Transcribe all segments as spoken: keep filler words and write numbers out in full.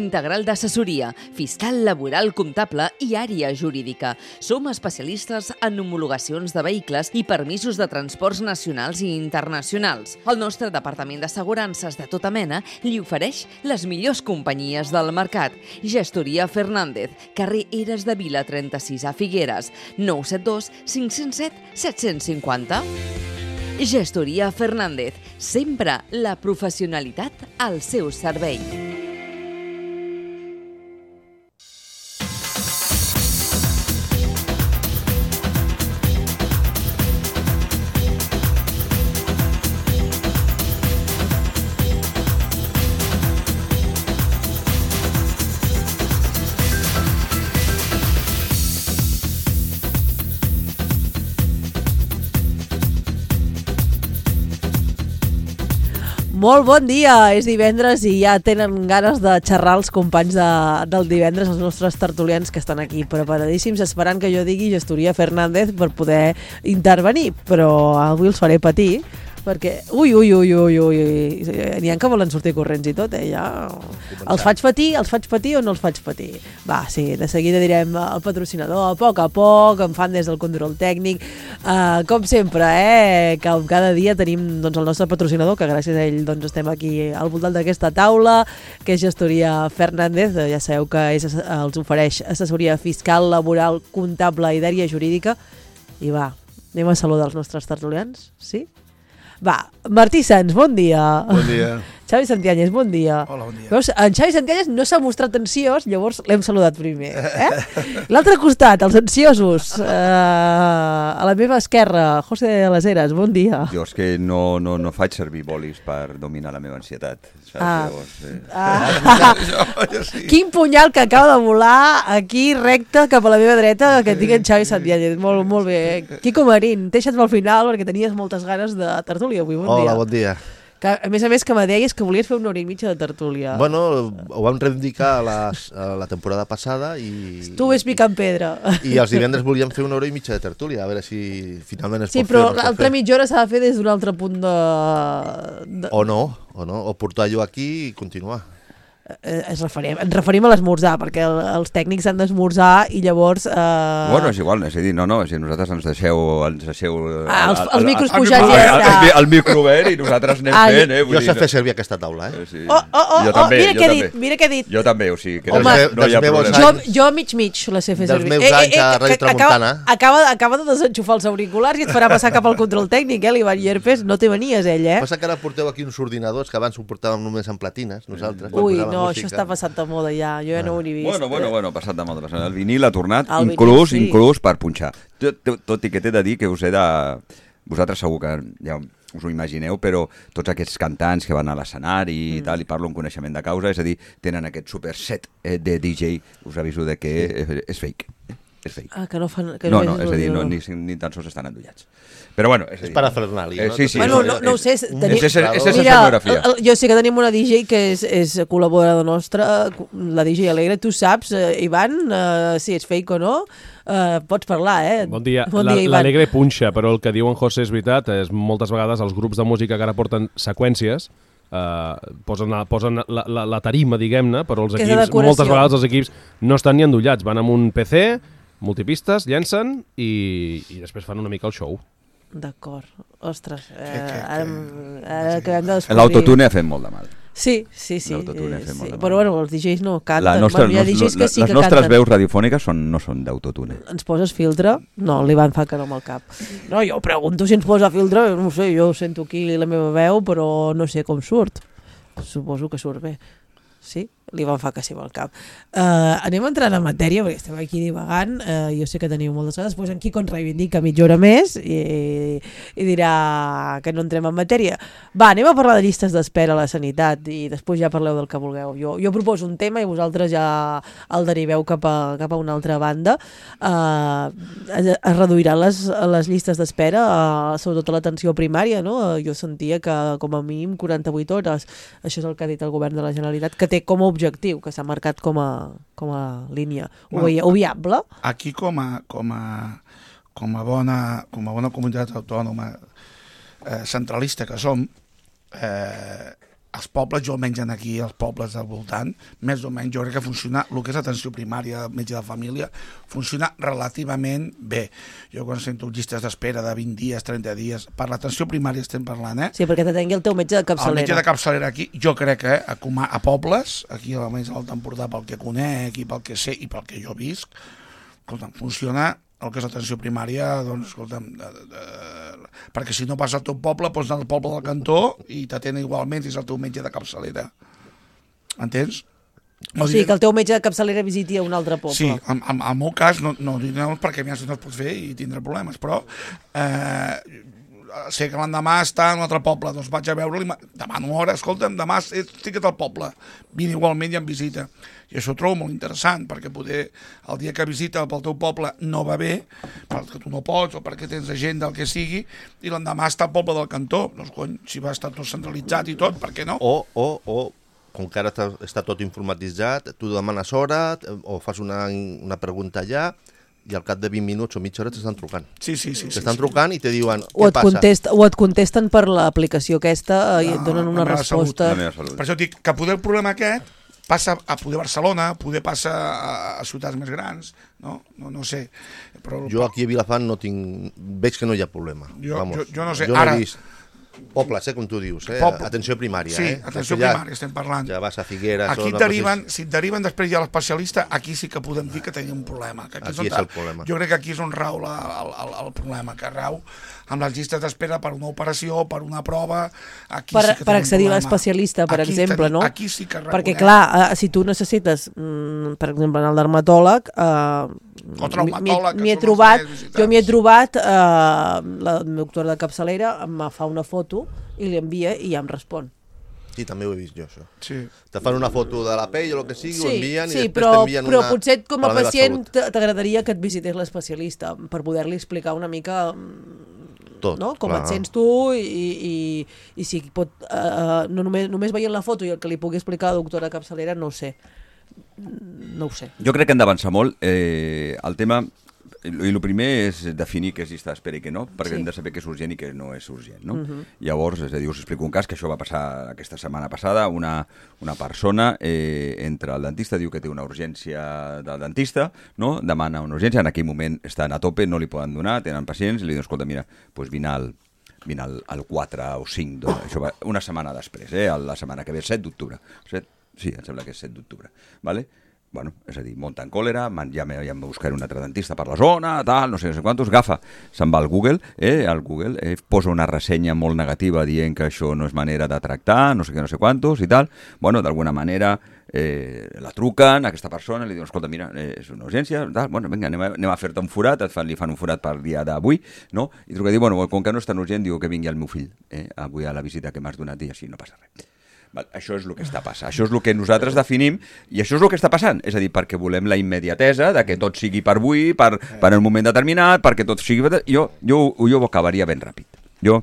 Integral d'assessoria, fiscal, laboral, comptable i àrea jurídica. Som especialistes en homologacions de vehicles i permisos de transports nacionals i internacionals. El nostre departament d'assegurances de tota mena li ofereix les millors companyies del mercat. Gestoria Fernández, carrer Eres de Vila trenta-sis a Figueres, nou set dos cinc zero set set cinc zero. Gestoria Fernández, sempre la professionalitat al seu servei. Molt bon dia, és divendres i ja tenen ganes de xerrar els companys de, del divendres, els nostres tertulians que estan aquí preparadíssims, esperant que jo digui Gestoria Fernández per poder intervenir, però avui els faré patir, perquè ui, ui, ui, ui, ui, n'hi ha que volen sortir corrents i tot, eh, ja. Els faig patir, els faig patir o no els faig patir? Va, sí, de seguida direm el patrocinador, a poc a poc, em fan des del control tècnic, uh, com sempre, eh, que cada dia tenim doncs, el nostre patrocinador, que gràcies a ell doncs, estem aquí al voltant d'aquesta taula, que és Gestoria Fernández, ja sabeu que és, els ofereix assessoria fiscal, laboral, comptable i d'àrea jurídica, i va, anem a saludar els nostres tertulians, sí? Va, Martí Sans, bon dia. Bon dia. Xavi Santianyes, bon dia. Hola, bon dia. Veus, en Xavi Santianyes no s'ha mostrat ansiós, llavors l'hem saludat primer. Eh? L'altre costat, els ansiosos. Uh, a la meva esquerra, José de les Heras, bon dia. Jo és que no, no, no faig servir bolis per dominar la meva ansietat. Saps? Ah. Llavors, eh. ah. jo, jo sí. Quin punyal que acaba de volar aquí recte cap a la meva dreta que tinc en Xavi Santianyes. Molt, molt bé. Quico Marín, deixa't pel final perquè tenies moltes ganes de tertúlia avui. Bon Hola, dia. bon dia. Que, a més a més que me deies que volies fer una hora i mitja de tertúlia. Bueno, ho vam reivindicar a la, a la temporada passada i... Tu ves picant pedra. I els divendres volíem fer una hora i mitja de tertúlia, a veure si finalment es sí, pot fer però o no es pot l'altra fer. mitja hora s'ha de fer des d'un altre punt de... de... O no, o no, o portar-ho aquí i continuar. Eh, ens, referim, ens referim a l'esmorzar, perquè el, els tècnics han d'esmorzar i llavors... Eh... Bueno, és igual, és a dir, no, no, és a dir, nosaltres ens deixeu... Ens deixeu ah, els, els el, micros el, pujats el, ja el, està. el, el micro obert i nosaltres anem ah, fent, eh? Vull Jo dir, sé fer servir aquesta taula, eh? Sí. Oh, oh, oh, jo oh també, mira jo què he també. dit, mira què he dit. Jo també, o sigui, que Home, no, no hi ha dels meus problema. Jo, jo mig mig la sé fer Dels servir. meus anys a Ràdio Tramuntana. Acaba, acaba de desenxufar els auriculars i et farà passar cap al control tècnic, eh? L'Ivan Llerpes, no te venies ell, eh? Passa que ara porteu aquí uns ordinadors que abans ho portàvem només en platines, nosaltres. Ui, quan posàvem no, música. això està passat de moda ja, jo ja no ho he ni vist. Bueno, bueno, bueno, passat de moda. El vinil ha tornat, El inclús, vinil, sí. inclús per punxar. Tot, tot, tot i que t'he de dir que us he de... Vosaltres segur que ja us ho imagineu, però tots aquests cantants que van a l'escenari i mm. tal, i parlo en coneixement de causa, és a dir, tenen aquest super set eh, de D J, us aviso de que és, és fake. És fake. Ah, que no fan... Que no, no, és a dir, no, ni, ni tan sols estan endollats. Però bueno, és a dir... És parafernalia, eh, no? sí, sí, bueno, és, no, no ho sé, és, tenim... és, és, és, és Mira, escenografia. el, el, jo sé que tenim una D J que és, és col·laboradora nostra, la D J Alegre, tu saps, eh, Ivan, eh, si és fake o no, eh, pots parlar, eh? Bon dia. Bon La, dia, Ivan. L'Alegre punxa, però el que diu en José és veritat, és moltes vegades els grups de música que ara porten seqüències, Uh, posen, a, posen la, la, la tarima, diguem-ne, però els Que és de equips, decoració. moltes vegades els equips no estan ni endollats, van amb un P C, multipistes, llencen i, i després fan una mica el show. D'acord. Ostres, eh, Que- que- ara, que- ara acabem de descobrir... L'autotune ha fet molt de mal. Sí, sí, sí. L'autotune ha fet eh, molt sí. de mal. Però bueno, els D Js no canten. La nostra, bueno, hi ha D Js que sí les que nostres canten. veus radiofòniques són, no són d'autotune. Ens poses filtre? No, l'Ivan fa que no amb el cap. No, jo pregunto si ens posa filtre, no ho sé, jo sento aquí la meva veu, però no sé com surt. Suposo que surt bé. Sí? L'Ivan fa que sí amb el cap. Uh, anem entrant en matèria, perquè estem aquí divagant. Uh, jo sé que teniu moltes coses. Després en Quico ens reivindica mitja hora més i, i dirà que no entrem en matèria. Va, anem a parlar de llistes d'espera a la sanitat i després ja parleu del que vulgueu. Jo, jo proposo un tema i vosaltres ja el deriveu cap a, cap a una altra banda. Uh, es, es reduiran les, les llistes d'espera, uh, sobretot a l'atenció primària, no? Jo sentia que com a mínim quaranta-vuit hores. Això és el que ha dit el govern de la Generalitat, que té com a objectiu, que s'ha marcat com a, com a línia. Ho Bueno, veieu viable? Aquí com a, com a, com a, bona, com a bona comunitat autònoma eh, centralista que som, eh, els pobles, jo almenys aquí, els pobles del voltant, més o menys jo crec que funciona, el que és atenció primària, metge de família, funciona relativament bé. Jo quan sento llistes d'espera de vint dies, trenta dies, per l'atenció primària estem parlant, eh? Sí, perquè t'atengui el teu metge de capçalera. El metge de capçalera aquí, jo crec que a, a pobles, aquí almenys a l'Alt Empordà, pel que conec i pel que sé i pel que jo visc, escolta'm, funciona el que és atenció primària, doncs, escolta'm, de, de, de, perquè si no vas al teu poble, pots anar al poble del cantó i t'atenen igualment si és el teu metge de capçalera. Entens? O sigui, que el teu metge de capçalera visiti a un altre poble. Sí, en, en, en el meu cas, no, no diré perquè a mi no es pot fer i tindré problemes, però eh, sé que l'endemà està en un altre poble, doncs vaig a veure-li, demano hora, escolta'm, demà estic al poble, vine igualment i em visita. I això ho trobo molt interessant, perquè poder el dia que visita pel teu poble no va bé, perquè tu no pots o perquè tens agenda, el que sigui, i l'endemà està al poble del cantó. Doncs, cony, si va estar tot centralitzat i tot, per què no? O, o, o com que ara està, està tot informatitzat, tu demanes hora o fas una, una pregunta allà, i al cap de vint minuts o mitja hora t'estan trucant. Sí, sí, sí. T'estan sí, trucant sí. i te diuen, O què et, passa? contest, o et contesten per l'aplicació aquesta i No, et donen una la meva resposta. La meva salut. Per això dic que poder el problema aquest passa a poder Barcelona, poder passa a, a ciutats més grans, no? No, no sé. Però, Jo aquí a Vilafant no tinc... Veig que no hi ha problema. Jo- Vamos, jo- jo no sé, Jo no ara- he vist pobles, eh, com tu dius, eh? Poble. Atenció primària, sí, eh? atenció Que ja- primària estem parlant. Ja vas a Figueres... Aquí o et no deriven, passis- si et deriven després ja a l'especialista, aquí sí que podem dir que tenim un problema. Que aquí, Aquí on és el problema. Jo crec que aquí és on rau la, el, el, el problema, que rau amb les llistes d'espera per una operació, per una prova... Aquí Per, sí que per tenim accedir un a problema. l'especialista, per Aquí exemple, tenim, no? Aquí sí que rau, Perquè, eh? clar, eh, si tu necessites, mm, per exemple, en el dermatòleg... Eh, O traumatòleg, que m'hi he són els trobat, més visitats. jo m'hi he trobat, eh, la doctora de capçalera em fa una foto i li envia i ja em respon. Sí, també ho he vist jo, això. Sí. Te fan una foto de la pell o el que sigui, ho envien sí, i després però, t'envien però una... potser com a per la meva pacient salut. t'agradaria que et visités l'especialista per poder-li explicar una mica mm, Tot, no? com clar. et sents tu i, i, i si pot, uh, no només, només veient la foto i el que li pugui explicar a la doctora capçalera, no ho sé. No ho sé. Jo crec que hem d'avançar molt. Eh, el tema... I el primer és definir què és llista d'espera i què no, perquè Sí. hem de saber què és urgent i què no és urgent. No? Mhm. Llavors, és a dir, us explico un cas que això va passar aquesta setmana passada. Una, una persona eh, entra al dentista, diu que té una urgència del dentista, no? Demana una urgència, en aquell moment estan a tope, no li poden donar, tenen pacients, i li diuen, escolta, mira, doncs vine al, vine al, al quatre o cinc, doncs, això va, una setmana després, eh? La setmana que ve, set d'octubre. set? Sí, em sembla que és set d'octubre. Vale? Bueno, és a dir, munta en còlera, man, ja, me, ja em buscaré un altre dentista per la zona, tal, no sé, no sé quantos, agafa, se'n va al Google, eh, al Google, eh, posa una ressenya molt negativa dient que això no és manera de tractar, no sé què, no sé quantos i tal. Bueno, d'alguna manera eh, la truquen a aquesta persona, li diuen, escolta, mira, eh, és una urgència, tal, bueno, vinga, anem a, anem a fer-te un forat, et fan, li fan un forat per dia d'avui, no? I truca i diu, bueno, com que no és tan urgent, diu que vingui el meu fill, eh, avui a la visita que m'has donat i així no passa res. Val, això és el que està passant, això és el que nosaltres definim i això és el que està passant, és a dir, perquè volem la immediatesa de que tot sigui per avui, per, per un moment determinat, perquè tot sigui... Jo, jo, jo ho acabaria ben ràpid. Jo,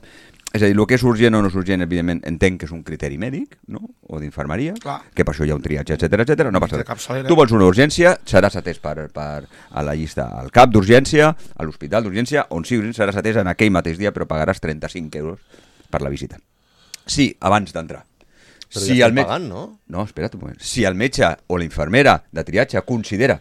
és a dir, el que és urgent o no és urgent, evidentment, entenc que és un criteri mèdic, no? O d'infermeria, Clar. que per això hi ha un triatge, etcètera, etcètera, no passa De res. capçalera. Tu vols una urgència, seràs atès per, per, a la llista al cap d'urgència, a l'hospital d'urgència, on sigui urgent seràs atès en aquell mateix dia, però pagaràs trenta-cinc euros per la visita. Sí, abans d'entrar. Però Si ja el estem met- pagant, no? No, espera't un moment. Si el metge o la infermera de triatge considera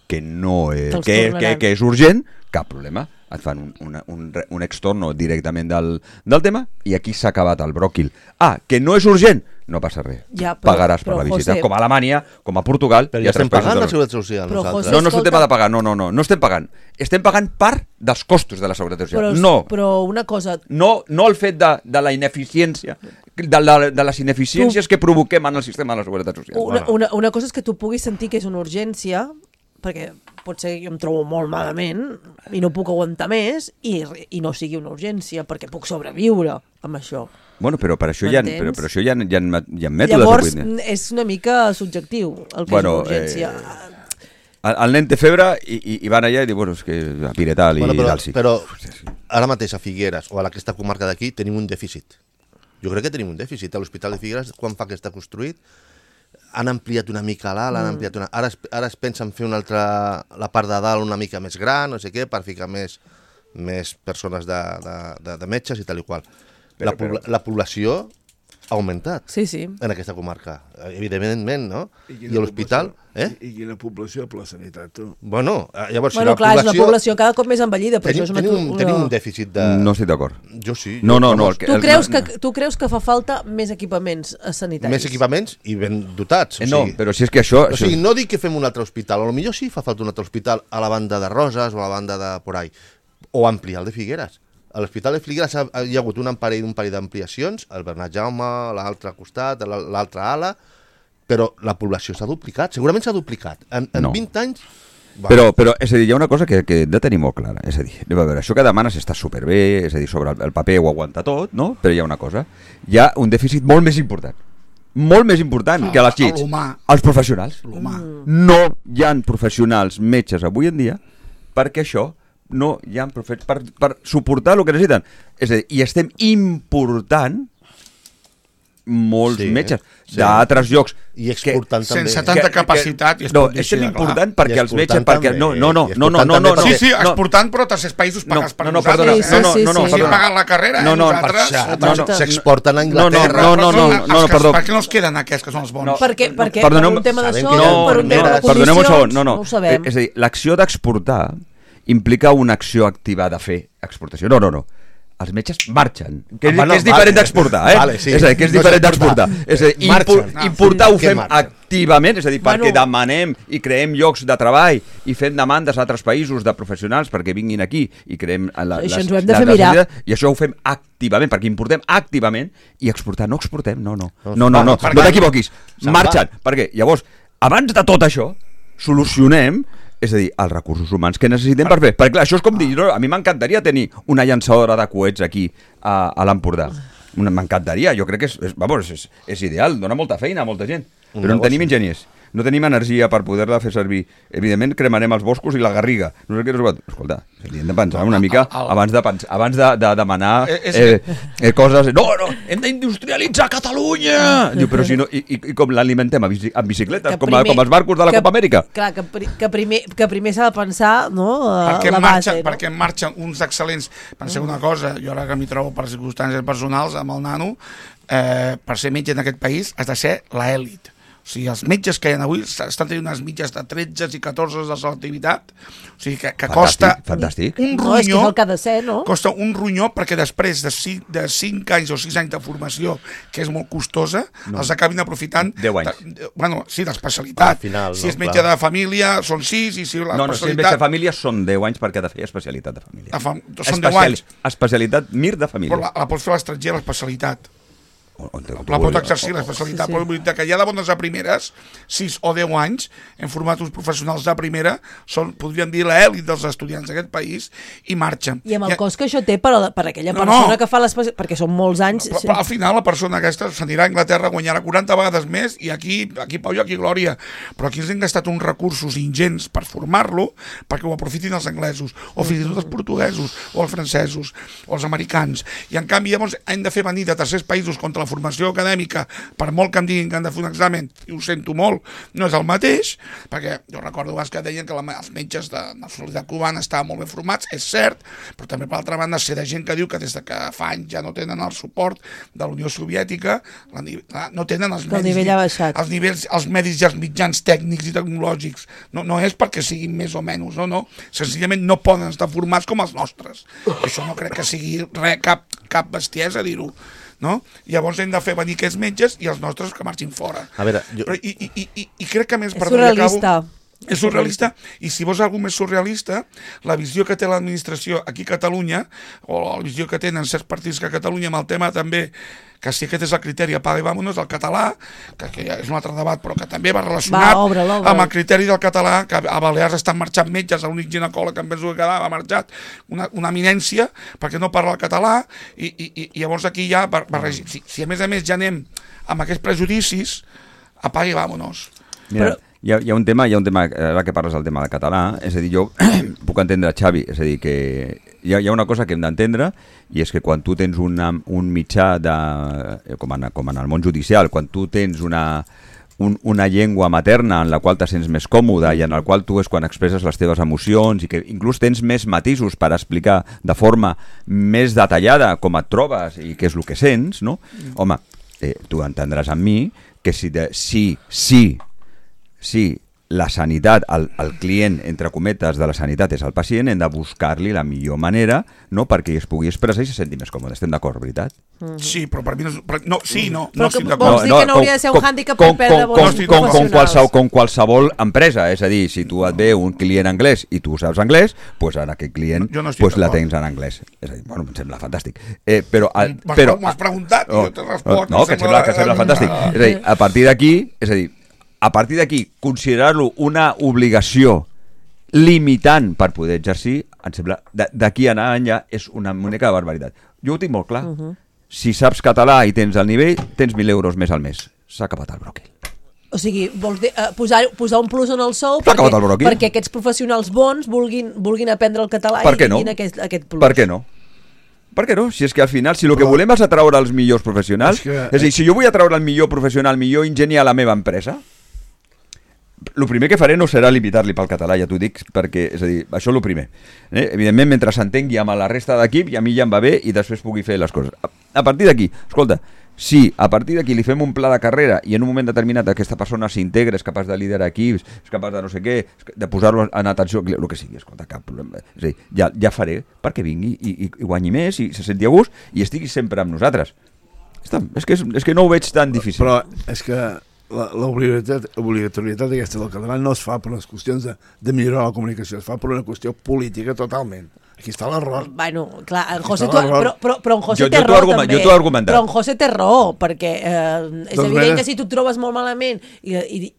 que no és, Te'ls que, que, tornaran. que és urgent, cap problema. Et fan un, una, un, re- un extorno directament del, del tema i aquí s'ha acabat el bròquil. Ah, que no és urgent? No passa res. Ja, però- Pagaràs per però, la visita. José- Com a Alemanya, com a Portugal... Però hi ja ha estem tres països pagant de la Seguretat Social, Però, nosaltres. José, No, no és un escolta- tema de pagar, no, no, no, no estem pagant. Estem pagant part dels costos de la Seguretat Social. Però, no, però una cosa, no, no el fet de, de la ineficiència, de, la, de les ineficiències que provoquem en el sistema de la Seguretat Social. una, una, una cosa és que tu puguis sentir que és una urgència, perquè potser jo em trobo molt malament i no puc aguantar més i, i no sigui una urgència, perquè puc sobreviure amb això. Bueno, però per això, hi ha, M'entens? però, però això hi ha, hi ha, hi ha mètodes. Llavors, avui dia. és una mica subjectiu el que Bueno, és una urgència. eh, El, el nen té febre i, i, i van allà i diu, bueno, és que a Piretal i Bueno, però, Dalsi. però ara mateix a Figueres o a aquesta comarca d'aquí tenim un dèficit. Jo crec que tenim un dèficit. A l'Hospital de Figueres, quan fa que està construït, han ampliat una mica l'alt, han ampliat una... Ara, es, ara es pensa en fer una altra... la part de dalt una mica més gran, no sé què, per ficar més, més persones de, de, de, de metges i tal i qual. Però, la, pobla, però- la població ha augmentat Sí, sí. en aquesta comarca. Evidentment, no? I I quina a l'hospital... població? Eh? I, I quina població per la sanitat, tu? Bueno, eh, llavors, Bueno, si la clar, és població... una població cada cop més envellida, però Tenim, això és una... tenim, un, una... tenim un dèficit de... No estic d'acord. Jo sí. No, jo, no, no. vamos, El que, Tu el, creus, no, que, tu creus que fa falta més equipaments sanitaris? Més equipaments i ben dotats. O Eh, no, sigui, però si és que això... o sigui, no dic que fem un altre hospital, a lo millor sí fa falta un altre hospital a la banda de Roses o a la banda de por ahí, o ampliar el de Figueres. A l'Hospital de Figueres ha, hi ha hagut un parell, un parell d'ampliacions, el Bernat Jaume, l'altre costat, l'altra ala, però la població s'ha duplicat, segurament s'ha duplicat. En, en No. vint anys... Va. Però, però, és a dir, hi ha una cosa que, que hem de tenir molt clara. És a dir, anem a veure, això que demanes està superbé, és a dir, sobre el, el paper ho aguanta tot, no? Però hi ha una cosa, hi ha un dèficit molt més important. Molt més important Ah, que les llits. l'humà. Els professionals. L'humà. No hi ha professionals metges avui en dia perquè això no hi ha profe- per, per suportar el que necessiten. És a dir, i estem important molts Sí, metges sí. d'altres llocs I exportant que, també. sense tanta capacitat i es no, pot dir estem així de clar. important I perquè els exportant metges perquè també, no no no i no no exportant no no, també no Sí, sí, perquè- no, exportant, però a tercers països pagats per no, no, nosaltres. perdona, Sí, no, no, sí, no, no, sí. Si perdona. paguen la carrera, No, eh, no, nosaltres... Per no, no. s'exporten a No, Anglaterra. no, no, no, Els no, que- perdó. Per què no es queden aquests que són els bons? No. Perquè, perquè Perdoneu- per un tema Sabem d'això, que hi ha per un tema de enfermeres. condicions, Perdoneu un segon, no, no. no ho sabem. Eh, És a dir, l'acció d'exportar implica una acció activa de fer exportació. No, no, no. Els metges marxen, que és, Ah, bueno, que és diferent vale. d'exportar, eh? Vale, sí. És a dir, que és No és diferent exportar. d'exportar. És a dir, Marxen. impor, Ah, importar sí. ho Què fem marxen? activament, és a dir, perquè Bueno. demanem i creem llocs de treball i fem demandes a altres països de professionals perquè vinguin aquí i creem la, Això les, ens ho hem de les fer mirar. necessitats, i això ho fem activament, perquè importem activament i exportar, no exportem, no, no. No, No, no, no, per no què? t'equivoquis. Se'n Marxen, perquè llavors, abans de tot això, solucionem, és a dir, els recursos humans que necessitem per fer. Perquè clar, això és com dir, no, a mi m'encantaria tenir una llançadora de coets aquí a, a l'Empordà. Una- M'encantaria, jo crec que és, és, vamos, és, és ideal, dona molta feina a molta gent. Un Però no negoci. tenim enginyers, no tenim energia per poder-la fer servir. Evidentment cremarem els boscos i la garriga. No sé què, no sé què. Escolta, hem de pensar una mica abans de, pens abans de, de demanar Eh, és eh, eh, coses... No, no, hem d'industrialitzar Catalunya! Diu, però si no... I, i, i com l'alimentem? Amb bici- amb bicicletes? Que Com, primer- com els barcos de la que- Copa Amèrica? Clar, que, pri, que primer, que primer s'ha de pensar, no?, perquè la en base, marxen, no? perquè en marxen uns excel·lents. Penseu una cosa, jo ara que m'hi trobo per circumstàncies personals amb el nano, eh, per ser metge en aquest país has de ser l'elit. O sigui, els metges que hi ha avui estan tenint unes mitges de tretze i catorze de selectivitat, o sigui, que, que Fantàstic, costa fantàstic. un No, és que és ronyó, el que ha de ser, no? costa un ronyó perquè després de cinc, de cinc anys o sis anys de formació, que és molt costosa, no. els acabin aprofitant... Deu anys. De, de, bueno, sí, d'especialitat. Al final, si no, és metge clar. de família, són sis, i si No, no, si és l'especialitat... metge de família són deu anys perquè ha de fer especialitat de família. De fam- són deu anys. Especialitat Mir de família. Però la, la pots fer a l'estranger, l'especialitat. On- on te- La pot exercir l'especialitat, Sí, sí. però vull dir que hi ha de bones a primeres, sis o deu anys, hem format uns professionals de primera, són, podríem dir, l'èlit dels estudiants d'aquest país, i marxen. I amb el I- cost que això té per, a la- per a aquella No, persona no. que fa l'especialitat, perquè són molts anys... Però, però al final la persona aquesta s'anirà a Anglaterra, guanyarà quaranta vegades més i aquí, aquí Pau i aquí Glòria. Però aquí ens hem gastat uns recursos ingents per formar-lo perquè ho aprofitin els anglesos, o fins i tot els portuguesos, o els francesos, o els americans. I en canvi llavors hem de fer venir de tercers països contra la formació acadèmica, per molt que em diguin que han de fer un examen, i ho sento molt, no és el mateix, perquè jo recordo abans que deien que la, els metges de nacionalitat cubana estaven molt ben formats, és cert, però també per altra banda sé de gent que diu que des de que fa anys ja no tenen el suport de la Unió Soviètica, la, la, no tenen els Que el medis, nivell ha baixat. els nivells, els medis i els mitjans tècnics i tecnològics. No, no és perquè siguin més o menys, no, no. Senzillament no poden estar formats com els nostres. I això no crec que sigui res, cap, cap bestiesa dir-ho. No? Llavors hem de fer venir aquests metges i els nostres que marxin fora. A veure, jo- Però, i, i, i, i crec que a més... És perdó, ja surrealista. acabo. És surrealista, i si vols alguna més surrealista, la visió que té l'administració aquí a Catalunya, o la visió que tenen certs partits que a Catalunya amb el tema també, que si aquest és el criteri apaga i vámonos, el català, que, que ja és un altre debat, però que també va relacionat Va, obre'l, obre'l. amb el criteri del català, que a Balears estan marxant metges, l'únic ginecòleg que em penso que quedava ha marxat, una, una eminència, perquè no parla el català, i, i, i llavors aquí ja, bar, barregi, si, si a més a més ja anem amb aquests prejudicis, apaga i vámonos. Mira, Però- hi, ha, hi ha un tema, hi ha un tema, ara que parles del tema de català, és a dir, jo puc entendre, Xavi, és a dir, que hi ha, hi ha una cosa que hem d'entendre, i és que quan tu tens una, un mitjà de, com en, com en el món judicial, quan tu tens una, un, una llengua materna en la qual te sents més còmode i en la qual tu és quan expresses les teves emocions i que inclús tens més matisos per explicar de forma més detallada com et trobes i què és el que sents, no? Home, eh, tu entendràs amb mi que si, de, si, si, si la sanitat, el, el client, entre cometes, de la sanitat és el pacient, hem de buscar-li la millor manera, no, perquè es pugui expressar i se senti més còmode. Estem d'acord, veritat? Mm. Sí, però per mi no... Però, no sí, no, però no estic que, d'acord. vols dir que no hauria de ser un hàndicap per perdre bons com, com, professionals? qualsevol, com qualsevol empresa, és a dir, si tu et ve un client anglès i tu saps anglès, doncs ara aquest client no, no pues la tens en anglès. És a dir, bueno, em sembla fantàstic. Eh, però, però, m'has preguntat i oh, jo te responc. No, que sembla, que sembla fantàstic. És a dir, a partir d'aquí, és a dir, a partir d'aquí, considerar-lo una obligació limitant per poder exercir, em sembla, d'aquí a anar enllà és una única barbaritat. Jo ho tinc molt clar. Uh -huh. Si saps català i tens el nivell, tens mil euros més al mes. S'ha acabat el bròquil. O sigui, vols dir, uh, posar, posar un plus en el sou S'ha perquè, acabat el bròquil. perquè aquests professionals bons vulguin, vulguin aprendre el català Per i què no? tinguin aquest, aquest plus. Per què no? Per què no? Si és que al final, si el que volem és atraure els millors professionals, és, que... és a dir, si jo vull atraure el millor professional, el millor enginyer a la meva empresa, el primer que faré no serà limitar-li pel català, ja t'ho dic, perquè, és a dir, això és el primer. Eh? Evidentment, mentre s'entengui amb la resta d'equip, i a mi ja em va bé i després pugui fer les coses. A, a partir d'aquí, escolta, si a partir d'aquí li fem un pla de carrera i en un moment determinat aquesta persona s'integra, és capaç de liderar equips, és capaç de no sé què, de posar-lo en atenció, el que sigui, escolta, cap problema. És a dir, ja, ja faré perquè vingui i, i, i guanyi més i se senti a gust i estigui sempre amb nosaltres. Està, és, que és, és que no ho veig tan difícil. Però és que l'obligatorietat aquesta del català no es fa per les qüestions de, de millorar la comunicació, es fa per una qüestió política totalment. Aquí està l'error. Bueno, clar, en José tu, però, però, però en José jo, té jo raó també. Jo t'ho he argumentat. Però en José té raó, perquè eh, és doncs evident bé. que si tu et trobes molt malament i, i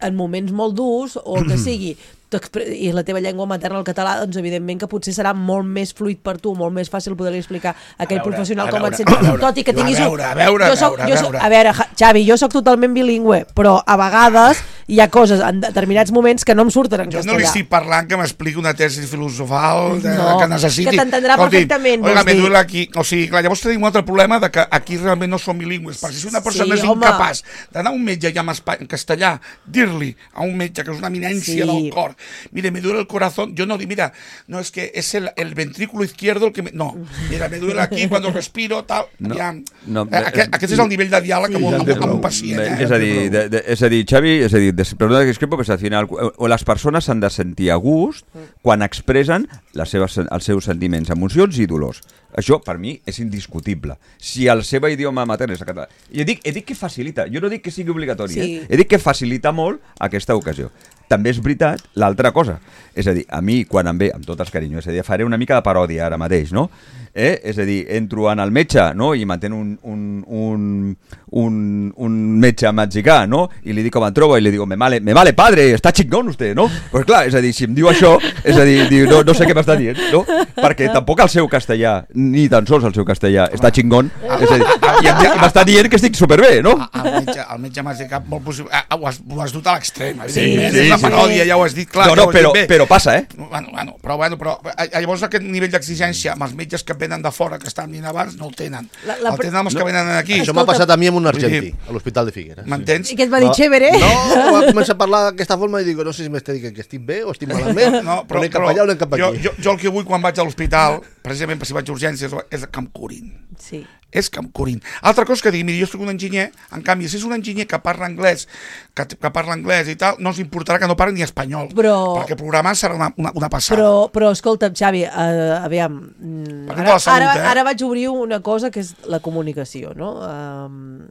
en moments molt durs o el que sigui, i la teva llengua materna, el català, doncs evidentment que potser serà molt més fluid per tu, molt més fàcil poder-li explicar a aquell veure, professional a com veure, et sents, a veure, tot i que tinguis... a veure, a veure, jo soc, a veure, jo a soc, veure. a veure, Xavi, jo sóc totalment bilingüe, però a vegades hi ha coses en determinats moments que no em surten en jo castellà. no li estic parlant que m'expliqui una tesi filosofal de, No, que necessiti. que t'entendrà perfectament, Oiga, vols me dir. duele aquí. O sigui, clar, llavors tenim un altre problema de que aquí realment no som bilingües, perquè si una persona Sí, és home. incapaç d'anar a un metge ja en, espa- en castellà, dir-li a un metge que és una eminència Sí. del cor, mire, me duele el corazón, jo no dic, mira, no, és que és el, el ventrículo izquierdo el que me... No, mira, me duele aquí cuando respiro, tal... No, ja... no, eh, aquest, aquest és el nivell de diàleg Sí. amb, un- amb, Ja amb un té pacient. Bé, Eh? és a dir, de, de, és a dir, Xavi, és a dir, des, perdona que discrepo, però al final o, o les persones s'han de sentir a gust quan expressen les seves, els seus sentiments, emocions i dolors. Això, per mi, és indiscutible. Si el seu idioma matern és el català... I he dit, he dit que facilita, jo no dic que sigui obligatori, Sí. eh? He dit que facilita molt aquesta ocasió. També és veritat l'altra cosa. És a dir, a mi, quan em ve, amb tot els carinyo, és a dir, faré una mica de paròdia ara mateix, no? Eh? És a dir, entro en el metge, no?, i m'entén un, un, un, un, un metge mexicà, no?, i li dic com em trobo, i li dic, me vale, me vale padre, està chingón usted, no? Pues clar, és a dir, si em diu això, és a dir, diu, no, no sé què m'està dient, no? Perquè tampoc el seu castellà, ni tan sols el seu castellà, està chingón, és a dir, i, em, i m'està dient que estic superbé, no? El metge, el metge mexicà, molt possible, ah, ho, has, ho has dut a l'extrem, Sí, evidentment, sí, és la sí. paròdia, ja ho has dit, clar, No, ja no, ho has però, dit bé. però passa, eh? Bueno, bueno, però, bueno, però eh, llavors aquest nivell d'exigència amb els metges que venen de fora, que estan venint abans, no el tenen. La- la el tenen els que venen aquí. Això m'ha Escolta, passat a mi amb un vull dir- argentí, a l'Hospital de Figueres. M'entens? I què et va dir, chévere? No, va començar a parlar d'aquesta forma i dic, no sé si m'està dient que estic bé o estic malament, No, però anem cap allà o anem cap jo, aquí. jo, jo el que vull quan vaig a l'hospital, precisament per si vaig a urgències, és que em curin. Sí. És que em curin. Altra cosa que digui, mira, jo soc un enginyer, en canvi, si és un enginyer que parla anglès, que, que parla anglès i tal, no us importarà que no parli ni espanyol, Però- perquè programar serà una, una, una passada. Però, però escolta'm, Xavi, uh, aviam, mm, Parlem de ara, la salut, ara, eh? ara vaig obrir una cosa que és la comunicació, no? Um,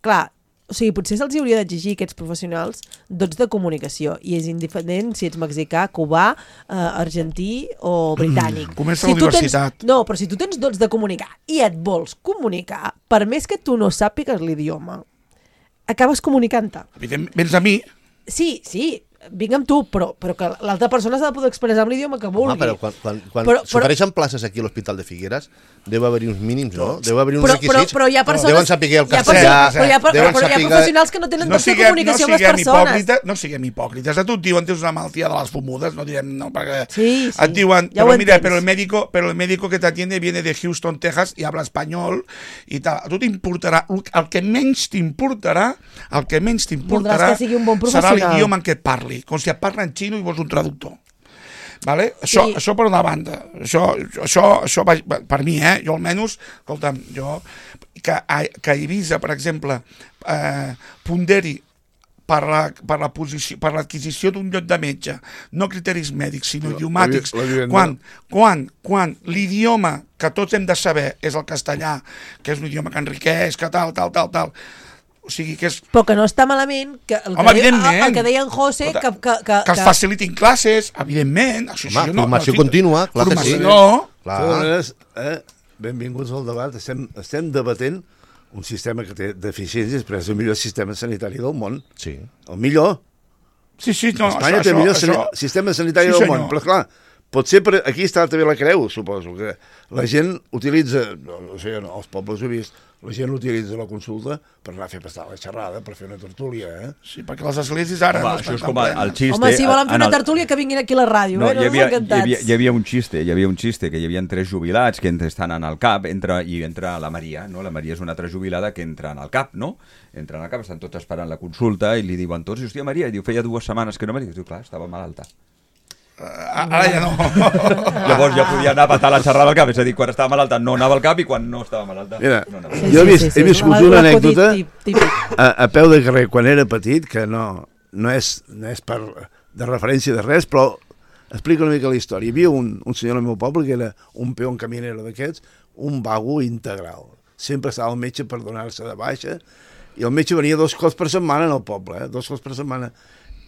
clar, o sigui, potser se'ls hauria d'exigir aquests professionals dots de comunicació, i és indiferent si ets mexicà, cubà, uh, argentí o britànic. Comença si la tu tens, universitat. no, però si tu tens dots de comunicar i et vols comunicar, per més que tu no sàpigues l'idioma, acabes comunicant-te. Evidentment, vens a mi, Sí, sí, vinc amb tu, però, però que l'altra persona s'ha de poder expressar amb l'idioma que vulgui. Home, però quan, quan, quan Però- però- s'ofereixen places aquí a l'Hospital de Figueres, deu haver-hi uns mínims, no? Deu haver-hi uns però, però, requisits. però hi ha persones... Deuen saber el hi ha castellà, persones- però hi ha, per- deuen però hi ha saber- professionals que no tenen no dots de siguem, no comunicació amb les siguem persones. hipòcrites, no siguem hipòcrites. A tu et diuen, tens una malaltia de les fumudes, no direm, no, perquè Sí, sí, et diuen, ja ho però mira, entens. pero el médico, pero el médico que te atiende viene de Houston, Texas, i habla espanyol, i tal. A tu t'importarà, el que menys t'importarà, el que menys t'importarà Voldràs que sigui un bon serà professional. l'idioma en què et parli, com si et parla en xino i vols un traductor. Vale? Això, Sí. això per una banda. Això, això, això va, per mi, eh? Jo almenys, escolta'm, jo... Que, que Eivissa, per exemple, eh, ponderi per la, per la posició, per l'adquisició d'un lloc de metge, no criteris mèdics, sinó idiomàtics, la, la quan, quan, quan l'idioma que tots hem de saber és el castellà, que és un idioma que enriqueix, que tal, tal, tal, tal, o sigui que és... Però que no està malament, que el, Home, que, deia, evidentment. el que deia en José, que... Que, que, que els facilitin classes, evidentment. Això, Home, això no, formació no, contínua, clar que formació, sí. No, Clar. De totes maneres, eh, benvinguts al debat. Estem, estem debatent un sistema que té deficiències, però és el millor sistema sanitari del món. Sí. El millor. sí, sí, no, Espanya això, té el millor això, sani- sistema sanitari Sí, del senyor. món. Però, clar, potser per aquí està també la creu, suposo, que la gent utilitza, no, no sé, no, els pobles ho he vist, la gent utilitza la consulta per anar a fer passar la xerrada, per fer una tertúlia, eh? Sí, perquè les esglésies ara Home, no això estan és tan com el, el plenes. xiste... Home, si volen fer en una el- tertúlia, que vinguin aquí a la ràdio, No, eh? hi, havia, hi, encantats. havia, hi havia un xiste, hi havia un xiste, que hi havia tres jubilats que entre, estan en el CAP entra, i entra la Maria, no? La Maria és una altra jubilada que entra en el CAP, no? Entra en el CAP, estan tots esperant la consulta i li diuen tots, hòstia, Maria, i diu, feia dues setmanes que no venies. Diu, clar, estava malalta. Ara ja no. Llavors ja podia anar a patar la xerrada al CAP, és a dir, quan estava malalta no anava al CAP i quan no estava malalta Mira, no anava. jo he, vist, he viscut La- una l'acudit anècdota tip- típic. a, a peu de carrer quan era petit, que no, no, és, no és per, de referència de res, però explica una mica la història. Hi havia un, un senyor al meu poble que era un peón caminero d'aquests, un vago integral. Sempre estava el metge per donar-se de baixa, i el metge venia dos cops per setmana en el poble, eh? dos cops per setmana.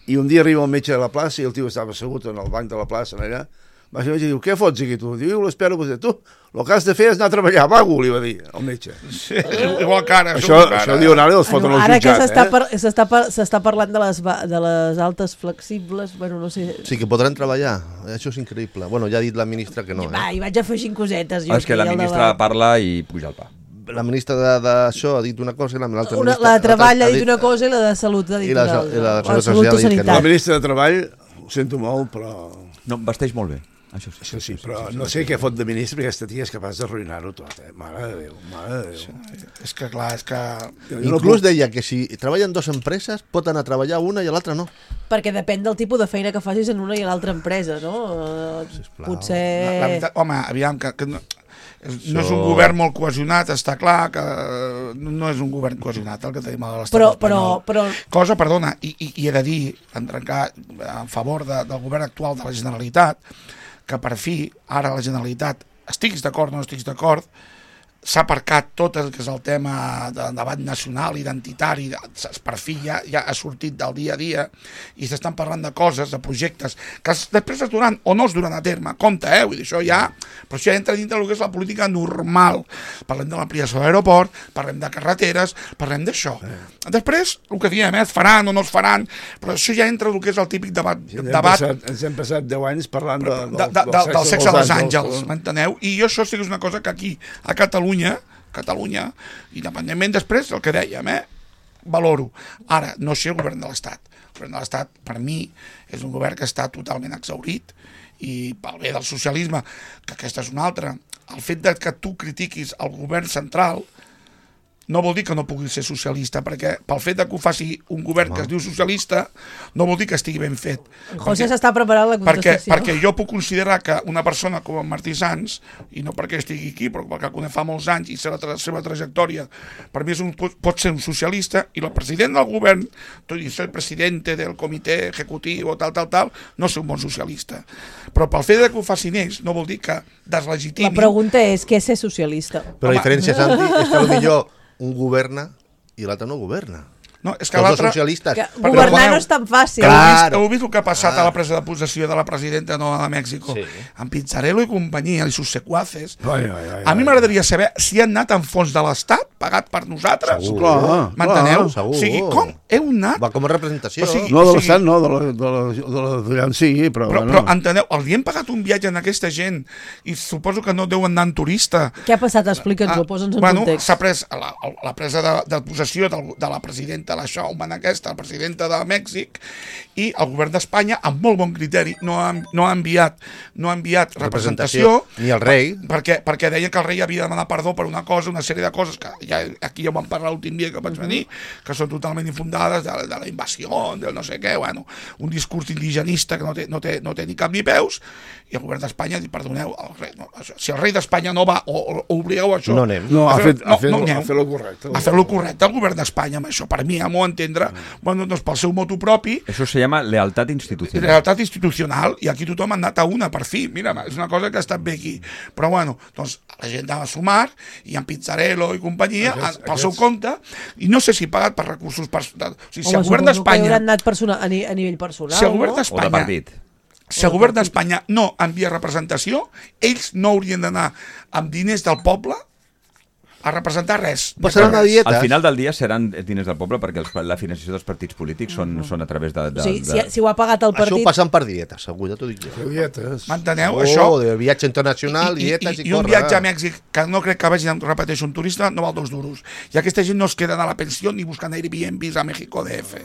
I un dia arriba el metge a la plaça i el tio estava assegut en el banc de la plaça, allà. Va ser el metge i diu, què fots aquí tu? Diu, l'espero, pues, tu, el que has de fer és anar a treballar, vago, li va dir el metge. Sí, igual que ara. Això, això diu ara i els foten Bueno, al ara que jutjat, s'està eh? par s'està par s'està parlant de les, va- de les altes flexibles, bueno, no sé... Sí, que podran treballar. Això és increïble. Bueno, ja ha dit la ministra que no, Va, eh? hi vaig afegint cosetes. Jo Ah, és que la aquí al ministra debat. parla i puja el pa. La ministra de- d'això ha dit una cosa i la- l'altra Una, ministra... la de treball ha l'altra dit una cosa i la de salut ha dit I la- una altra. i la de O salut salut social o ha dit que no. La sanitat. ministra de Treball, ho sento molt, però... No, vesteix molt bé. Això sí. Això sí, però no sé què fot de ministre, perquè aquesta tia és capaç d'arruïnar-ho tot, eh? Mare de Déu, mare de Déu. És que clar, és que... Jo no Inclús puc- deia que si treballen dues empreses pot anar a treballar una i l'altra no. Perquè depèn del tipus de feina que facis en una i en l'altra empresa, no? Eh, Sisplau. Potser... La, la veritat, home, aviam, que, que no, és, no és un Això- govern molt cohesionat, està clar que eh, no és un govern cohesionat el que tenim a l'estat Però, espanyol. però, però... Cosa, perdona, i, i, i he de dir, en trencar en favor de, del govern actual de la Generalitat, que per fi, ara la Generalitat, estiguis d'acord o no estiguis d'acord, s'ha aparcat tot el que és el tema de debat nacional, identitari, per fi ja, ja ha sortit del dia a dia i s'estan parlant de coses, de projectes que es, després es duran o no es duran a terme, compte, eh? Vull dir, això ja, però això ja entra dintre del que és la política normal. Parlem de l'ampliació de l'aeroport, parlem de carreteres, parlem d'això. Després, el que diem, eh? Es faran o no es faran, però això ja entra del que és el típic debat, Sí, ens hem debat passat, ens hem passat deu anys parlant de, de, de, de, del sexe dels àngels, m'enteneu? I jo això sí que és una cosa que aquí, a Catalunya, Catalunya, independentment després del que dèiem, eh? Valoro. Ara, no sé el govern de l'Estat. El govern de l'Estat, per mi, és un govern que està totalment exhaurit i pel bé del socialisme, que aquesta és una altra, el fet de que tu critiquis el govern central no vol dir que no pugui ser socialista, perquè pel fet de que ho faci un govern que es diu socialista, no vol dir que estigui ben fet. José s'està preparant la Perquè, contestació. perquè jo puc considerar que una persona com en Martí Sans, i no perquè estigui aquí, però perquè conec fa molts anys i sé la tra seva trajectòria, per mi és un, pot, pot ser un socialista, i el president del govern, tot i ser presidente del comitè executiu o tal, tal, tal, no ser un bon socialista. Però pel fet de que ho facin ells no vol dir que deslegitimi... La pregunta és què és ser socialista? Però la Home. diferència, Santi, és que potser un governa i l'altre no governa. No, és que Els dos l'altre... socialistes. Que Però governar quan- no és tan fàcil. Heu vist, Claro. heu vist el que ha passat Ah. a la presa de possessió de la presidenta nova de Mèxico? Sí. Amb Pizzarello i companyia, i sus secuaces. Ai, ai, ai, A mi ai. m'agradaria saber si han anat en fons de l'Estat, pagat per nosaltres. Segur. Clar, M'enteneu? clar. O sigui, com heu anat? Va com a representació. O sigui, No, de o sigui- l'estat no, de la, de la, de la, d'allà on sigui, però, Però, bueno. però enteneu, els hi hem pagat un viatge a aquesta gent i suposo que no deuen anar en turista. Què ha passat? Explica'ns-ho, posa'ns en bueno, context. s'ha pres la, la presa de, de possessió del, de la presidenta presidenta, la Showman aquesta, la presidenta de Mèxic, i el govern d'Espanya, amb molt bon criteri, no ha, no ha enviat, no ha enviat representació, representació ni el rei, perquè, perquè deia que el rei havia de demanar perdó per una cosa, una sèrie de coses que ja, aquí ja ho vam parlar l'últim dia que vaig venir, que són totalment infundades, de, de la invasió, del no sé què, bueno, un discurs indigenista que no té, no té, no té ni cap ni peus, i el govern d'Espanya diu, perdoneu, el rei, no, això, si el rei d'Espanya no va, o, o, o obligueu això, no anem. No, ha fet, no, ha fet, no, no, no ha fet lo correcte. Ha fet lo correcte el govern d'Espanya amb això, per mi, a m'ho entendre, mm. bueno, doncs pel seu motu propi, Eso se llama lealtad institucional. Lealtat institucional, i aquí tothom ha anat a una, per fi, mira, és una cosa que ha estat bé aquí, però bueno, doncs la gent va sumar, i en Pizzarello i companyia, Aquests- pel aquests- seu compte, i no sé si pagat per recursos personals, o sigui, si Home, el govern suposo que d'Espanya... hauran anat persona, a, ni, a nivell personal, Si el govern no? O de d'Espanya... partit. Si el govern d'Espanya no envia representació, ells no haurien d'anar amb diners del poble a representar res. Passarà una dieta. Al final del dia seran diners del poble perquè els, la financiació dels partits polítics són, són a través de... de, O sigui, de... si, si ho ha pagat el Això ho partit... passen per dietes, segur, ja t'ho dic jo. Dietes. M'enteneu? Oh, Això... de viatge internacional, I, i, dietes i, i, i un corre. viatge a Mèxic que no crec que vagi, repeteixo, un turista no val dos duros. I aquesta gent no es queda a la pensió ni buscant Airbnbs a México D F.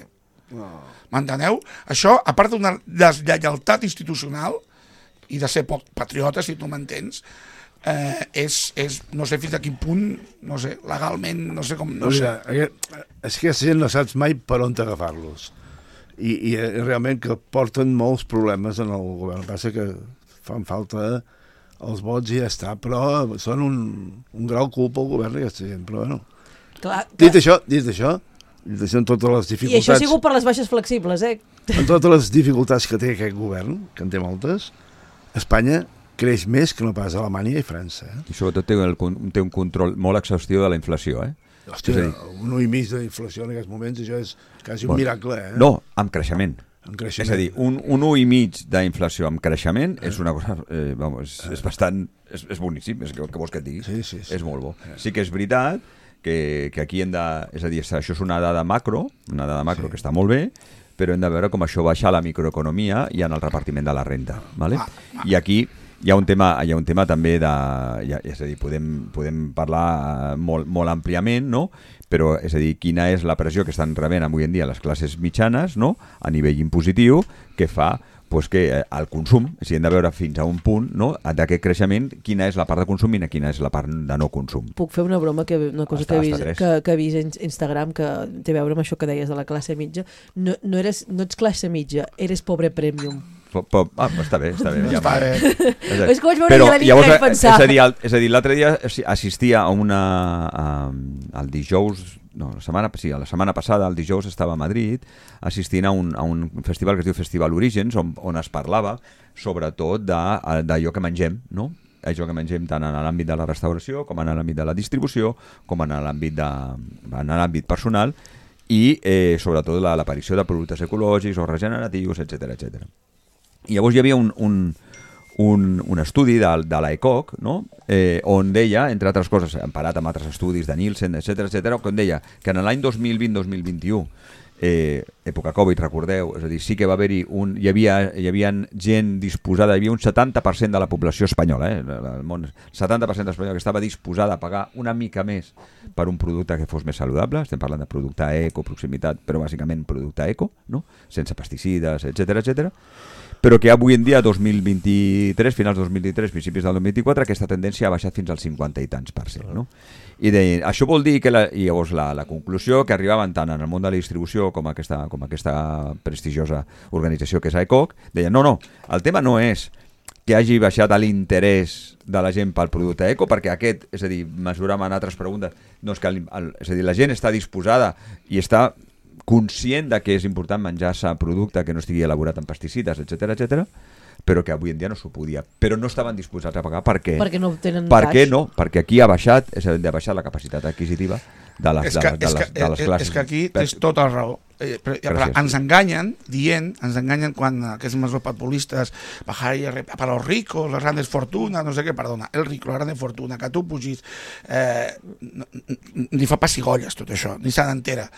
M'enteneu? Això, a part d'una deslleialtat institucional i de ser poc patriota, si tu m'entens, eh, és, és, no sé fins a quin punt, no sé, legalment, no sé com... No sé. Mira, aquest, és que aquesta gent no saps mai per on agafar-los. I, i eh, realment que porten molts problemes en el govern. El que passa que fan falta els vots i ja està, però són un, un grau culpa al govern aquesta gent, però bueno. Clar, Dit clar. això, dit això, dit això, amb totes les I això dificultats, ha sigut per les baixes flexibles, eh? amb totes les dificultats que té aquest govern, que en té moltes, Espanya creix més que no pas Alemanya i França. Eh? I sobretot té, el, té un control molt exhaustiu de la inflació, eh? Hòstia, És a dir- un un i mig d'inflació en aquests moments, això és quasi un Bueno, miracle, eh? No, amb creixement. En creixement. És a dir, un, un un i mig d'inflació amb creixement és una cosa, eh, vamos, és, és bastant, és, és boníssim, és que, que vols que et digui? Sí, sí, sí. És molt bo. Sí que és veritat que, que aquí hem de, és a dir, això és una dada macro, una dada macro sí. que està molt bé, però hem de veure com això baixa a la microeconomia i en el repartiment de la renda. ¿Vale? I aquí hi ha un tema, hi ha un tema també de... Ja, és a dir, podem, podem parlar molt, molt àmpliament, no? Però, és a dir, quina és la pressió que estan rebent avui en dia les classes mitjanes, no? A nivell impositiu, que fa pues, que eh, el consum, si hem de veure fins a un punt, no? D'aquest creixement, quina és la part de consum i quina és la part de no consum. Puc fer una broma, que una cosa Està- que, he està vist, tres. que, que he vist en Instagram que té a veure amb això que deies de la classe mitja. No, no, eres, no ets classe mitja, eres pobre premium. Po, po, ah, està bé, està bé. Ja Està va. bé. És, a dir, És que vaig veure però, i la nit llavors, vaig pensar. És a dir, el, és a dir l'altre dia assistia a una... A, el dijous... No, la setmana, sí, la setmana passada, el dijous, estava a Madrid assistint a un, a un festival que es diu Festival Orígens, on, on es parlava sobretot d'allò que mengem, no? Allò que mengem tant en l'àmbit de la restauració com en l'àmbit de la distribució, com en l'àmbit de, en l'àmbit personal i eh, sobretot la- l'aparició de productes ecològics o regeneratius, etcètera, etcètera. I llavors hi havia un, un, un, un estudi de, de l'ECOC, no? eh, on deia, entre altres coses, emparat amb altres estudis de Nielsen, etcètera, etcètera, on deia que en l'any dos mil vint dos mil vint-i-u, eh, època Covid, recordeu, és a dir, sí que va haver-hi un... Hi havia, hi havia gent disposada, hi havia un setanta per cent de la població espanyola, eh, el món, setanta per cent espanyola que estava disposada a pagar una mica més per un producte que fos més saludable, estem parlant de producte eco, proximitat, però bàsicament producte eco, no? Sense pesticides, etcètera, etcètera, però que avui en dia, dos mil vint-i-tres, finals dos mil vint-i-tres, principis del dos mil vint-i-quatre, aquesta tendència ha baixat fins al cinquanta i tants per cent. No? I deien, això vol dir que la, i llavors la, la conclusió que arribaven tant en el món de la distribució com aquesta, com aquesta prestigiosa organització que és ECOC, deien, no, no, el tema no és que hagi baixat l'interès de la gent pel producte eco, perquè aquest, és a dir, mesuràvem en altres preguntes, no és, que el, el, és a dir, la gent està disposada i està conscient de que és important menjar-se producte que no estigui elaborat amb pesticides, etcètera, etcètera, però que avui en dia no s'ho podia. Però no estaven disposats a pagar perquè... Perquè no tenen Per què cash. no? Perquè aquí ha baixat, és a dir, ha baixat la capacitat adquisitiva de les, És de, que, de, és, les, que, de les classes. és que aquí tens tota la raó. eh, però, però ens enganyen dient, ens enganyen quan aquests mesopopulistes bajar i para los ricos, les grandes fortunas, no sé què, perdona, el rico, la grande fortuna, que tu pugis, eh, ni fa pessigolles tot això, ni se n'entera.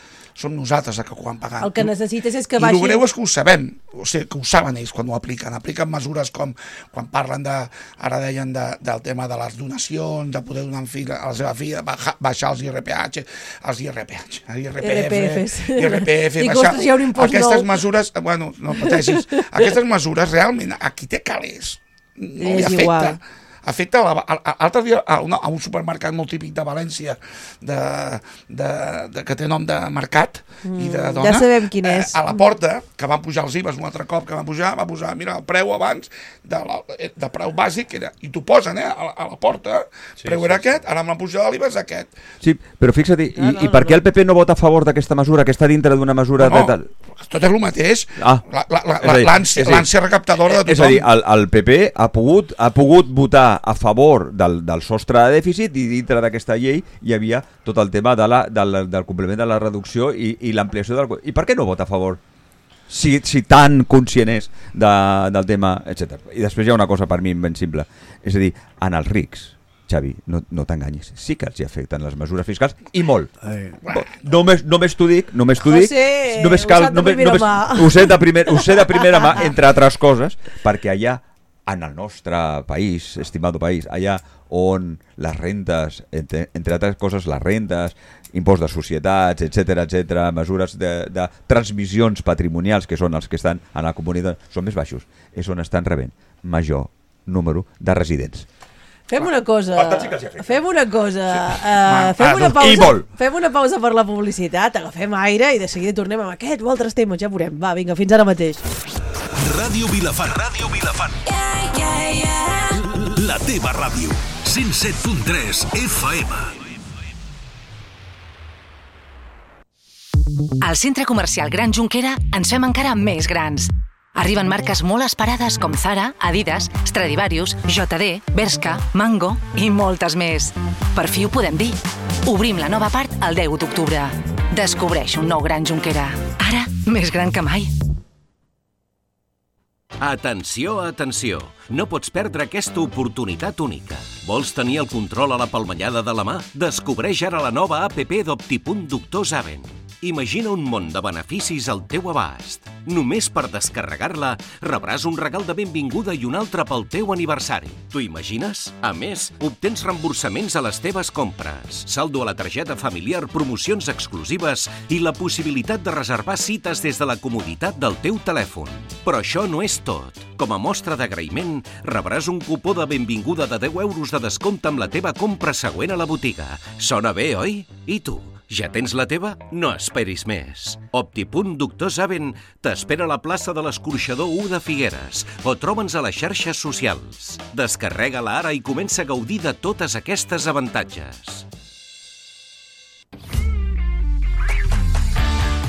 Som nosaltres els que ho han pagat. El que necessites és que baixi... I baixi... el greu és que ho sabem, o sigui, que ho saben ells quan ho apliquen. Apliquen mesures com, quan parlen de, ara deien de, del tema de les donacions, de poder donar un fill a la seva filla, baixar els I R P H, els I R P H, I R P F, I R P F, baixar... Hi ha un impost aquestes nou. mesures, bueno, no pateixis, aquestes mesures realment a qui té calés no li afecta. Igual. Afecta a l'altre dia a, una, a un supermercat molt típic de València de, de, de, que té nom de mercat mm, i de dona, ja sabem quin és. Eh, a la porta, que van pujar els I V As un altre cop que van pujar, va posar, mira, el preu abans de, la, de preu bàsic era, i t'ho posen, eh, a, a la porta, sí, preu sí, era sí. aquest, ara amb la pujada de l'I V A és aquest. Sí, però fixa't, i, no, no, i per què el P P no vota a favor d'aquesta mesura, que està dintre d'una mesura no, de tal? Tot és el mateix, ah, l'ànsia recaptadora de tothom. És a dir, el, el P P ha pogut, ha pogut votar a favor Del, del sostre de dèficit i dintre d'aquesta llei hi havia tot el tema de la, del, del compliment de la reducció i, i l'ampliació del... I per què no vota a favor? Si, si tan conscient és de, del tema, etcètera. I després hi ha una cosa per mi invencible, és a dir, en els rics, Xavi, no, no t'enganyis, sí que els hi afecten les mesures fiscals i molt. Ai. Només, només t'ho dic, només t'ho dic, només cal, només, només, ho sé de primer, ho sé de primera mà, entre altres coses, perquè allà en el nostre país, estimado país, allà on les rentes, entre, entre altres coses, les rentes, impost de societats, etcètera, etcètera, mesures de, de transmissions patrimonials, que són els que estan a la comunitat, són més baixos, és on estan rebent major número de residents. Fem una cosa, fem una cosa, sí. uh, fem, una I pausa, molt. fem una pausa per la publicitat, agafem aire i de seguida tornem amb aquest o altres temes, ja veurem. Va, vinga, fins ara mateix. Ràdio Vilafant, Ràdio Vilafant. Yeah, yeah, yeah. La teva ràdio, cent set punt tres F M. Al Centre Comercial Gran Jonquera ens fem encara més grans. Arriben marques molt esperades com Zara, Adidas, Stradivarius, J D, Bershka, Mango i moltes més. Per fi ho podem dir. Obrim la nova part el deu d'octubre. Descobreix un nou Gran Jonquera. Ara, més gran que mai. Atenció, atenció! No pots perdre aquesta oportunitat única. Vols tenir el control a la palmellada de la mà? Descobreix ara la nova app d'Optipunt Doctor Zaven. Imagina un món de beneficis al teu abast. Només per descarregar-la rebràs un regal de benvinguda i un altre pel teu aniversari. T'ho imagines? A més, obtens reemborsaments a les teves compres, saldo a la targeta familiar, promocions exclusives i la possibilitat de reservar cites des de la comoditat del teu telèfon. Però això no és tot. Com a mostra d'agraïment, rebràs un cupó de benvinguda de deu euros de descompte amb la teva compra següent a la botiga. Sona bé, oi? I tu? Ja tens la teva? No esperis més. Optipunt Doctor Zaven t'espera a la plaça de l'Escorxador u de Figueres o troba'ns a les xarxes socials. Descarrega-la ara i comença a gaudir de totes aquestes avantatges.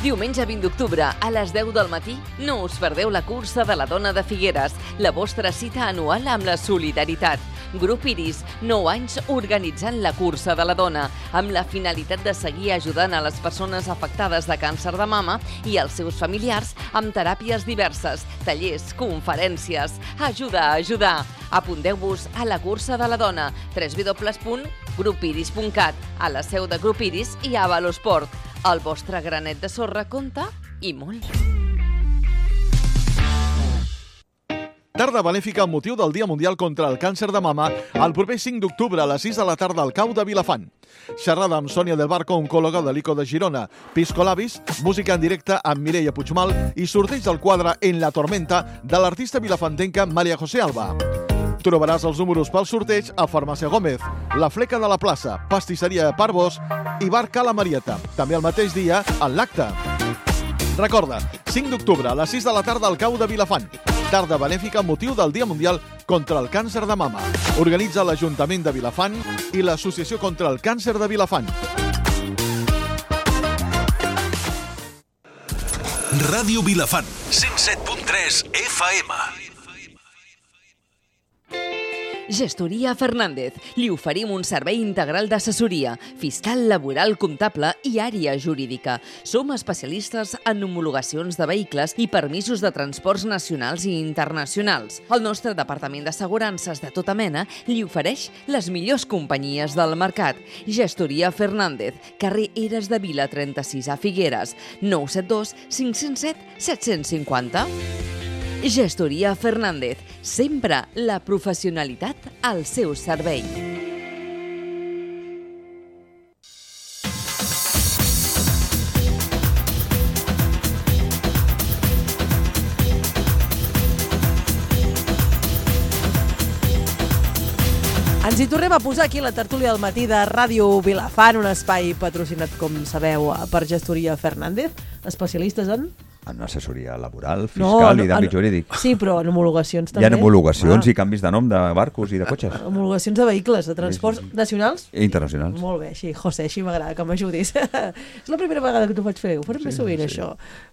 Diumenge vint d'octubre, a les deu del matí, no us perdeu la cursa de la dona de Figueres, la vostra cita anual amb la solidaritat. Grup Iris, nou anys organitzant la cursa de la dona, amb la finalitat de seguir ajudant a les persones afectades de càncer de mama i als seus familiars amb teràpies diverses, tallers, conferències. Ajuda a ajudar. Apunteu-vos a la cursa de la dona, w w w punt grup iris punt cat, a la seu de Grup Iris i a Valosport. El vostre granet de sorra compta i molt. Tarda benèfica amb motiu del Dia Mundial contra el Càncer de Mama el proper cinc d'octubre a les sis de la tarda al Cau de Vilafant. Xerrada amb Sònia del Barco, oncòloga de l'I C O de Girona, Pisco Labis, música en directe amb Mireia Puigmal i sorteig del quadre En la tormenta de l'artista vilafantenca Maria José Alba. Trobaràs els números pel sorteig a Farmàcia Gómez, La Fleca de la Plaça, Pastisseria Parvos i Bar Cala Marieta. També el mateix dia en l'acte. Recorda, cinc d'octubre a les sis de la tarda al Cau de Vilafant. Tarda benèfica amb motiu del Dia Mundial contra el Càncer de Mama. Organitza l'Ajuntament de Vilafant i l'Associació contra el Càncer de Vilafant. Ràdio Vilafant, cent set punt tres F M. Gestoria Fernández. Li oferim un servei integral d'assessoria, fiscal, laboral, comptable i àrea jurídica. Som especialistes en homologacions de vehicles i permisos de transports nacionals i internacionals. El nostre departament d'assegurances de tota mena li ofereix les millors companyies del mercat. Gestoria Fernández, carrer Eres de Vila trenta-sis a Figueres, nou set dos cinc zero set set cinc zero. Gestoria Fernández, sempre la professionalitat al seu servei. Ens hi tornem a posar aquí la tertúlia del matí de Ràdio Vilafant, un espai patrocinat, com sabeu, per Gestoria Fernández, especialistes en... En assessoria laboral, fiscal no, no, i d'àmbit jurídic. Sí, però en homologacions també. Hi ha homologacions ah. i canvis de nom de barcos i de cotxes. Homologacions de vehicles, de transports sí, sí. nacionals? I internacionals. Molt bé, així, José, així m'agrada que m'ajudis. És la primera vegada que t'ho faig fer, ho farem sí, més sovint, sí. això.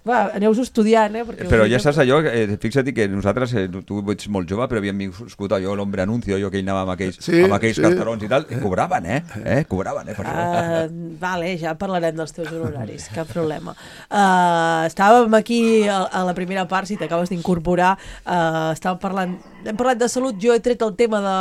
Va, aneu-ho estudiant, eh? Perquè però ja saps allò, eh, fixa't que nosaltres, eh, tu ets molt jove, però havíem viscut allò, l'Hombre Anuncio, allò que ell anava amb aquells, sí, amb aquells sí. carterons i tal, i cobraven, eh? eh? Cobraven, eh? Per uh, vale, ja parlarem dels teus honoraris, cap problema. Uh, estàvem aquí a, a la primera part, si t'acabes d'incorporar, uh, estàvem parlant, hem parlat de salut, jo he tret el tema de,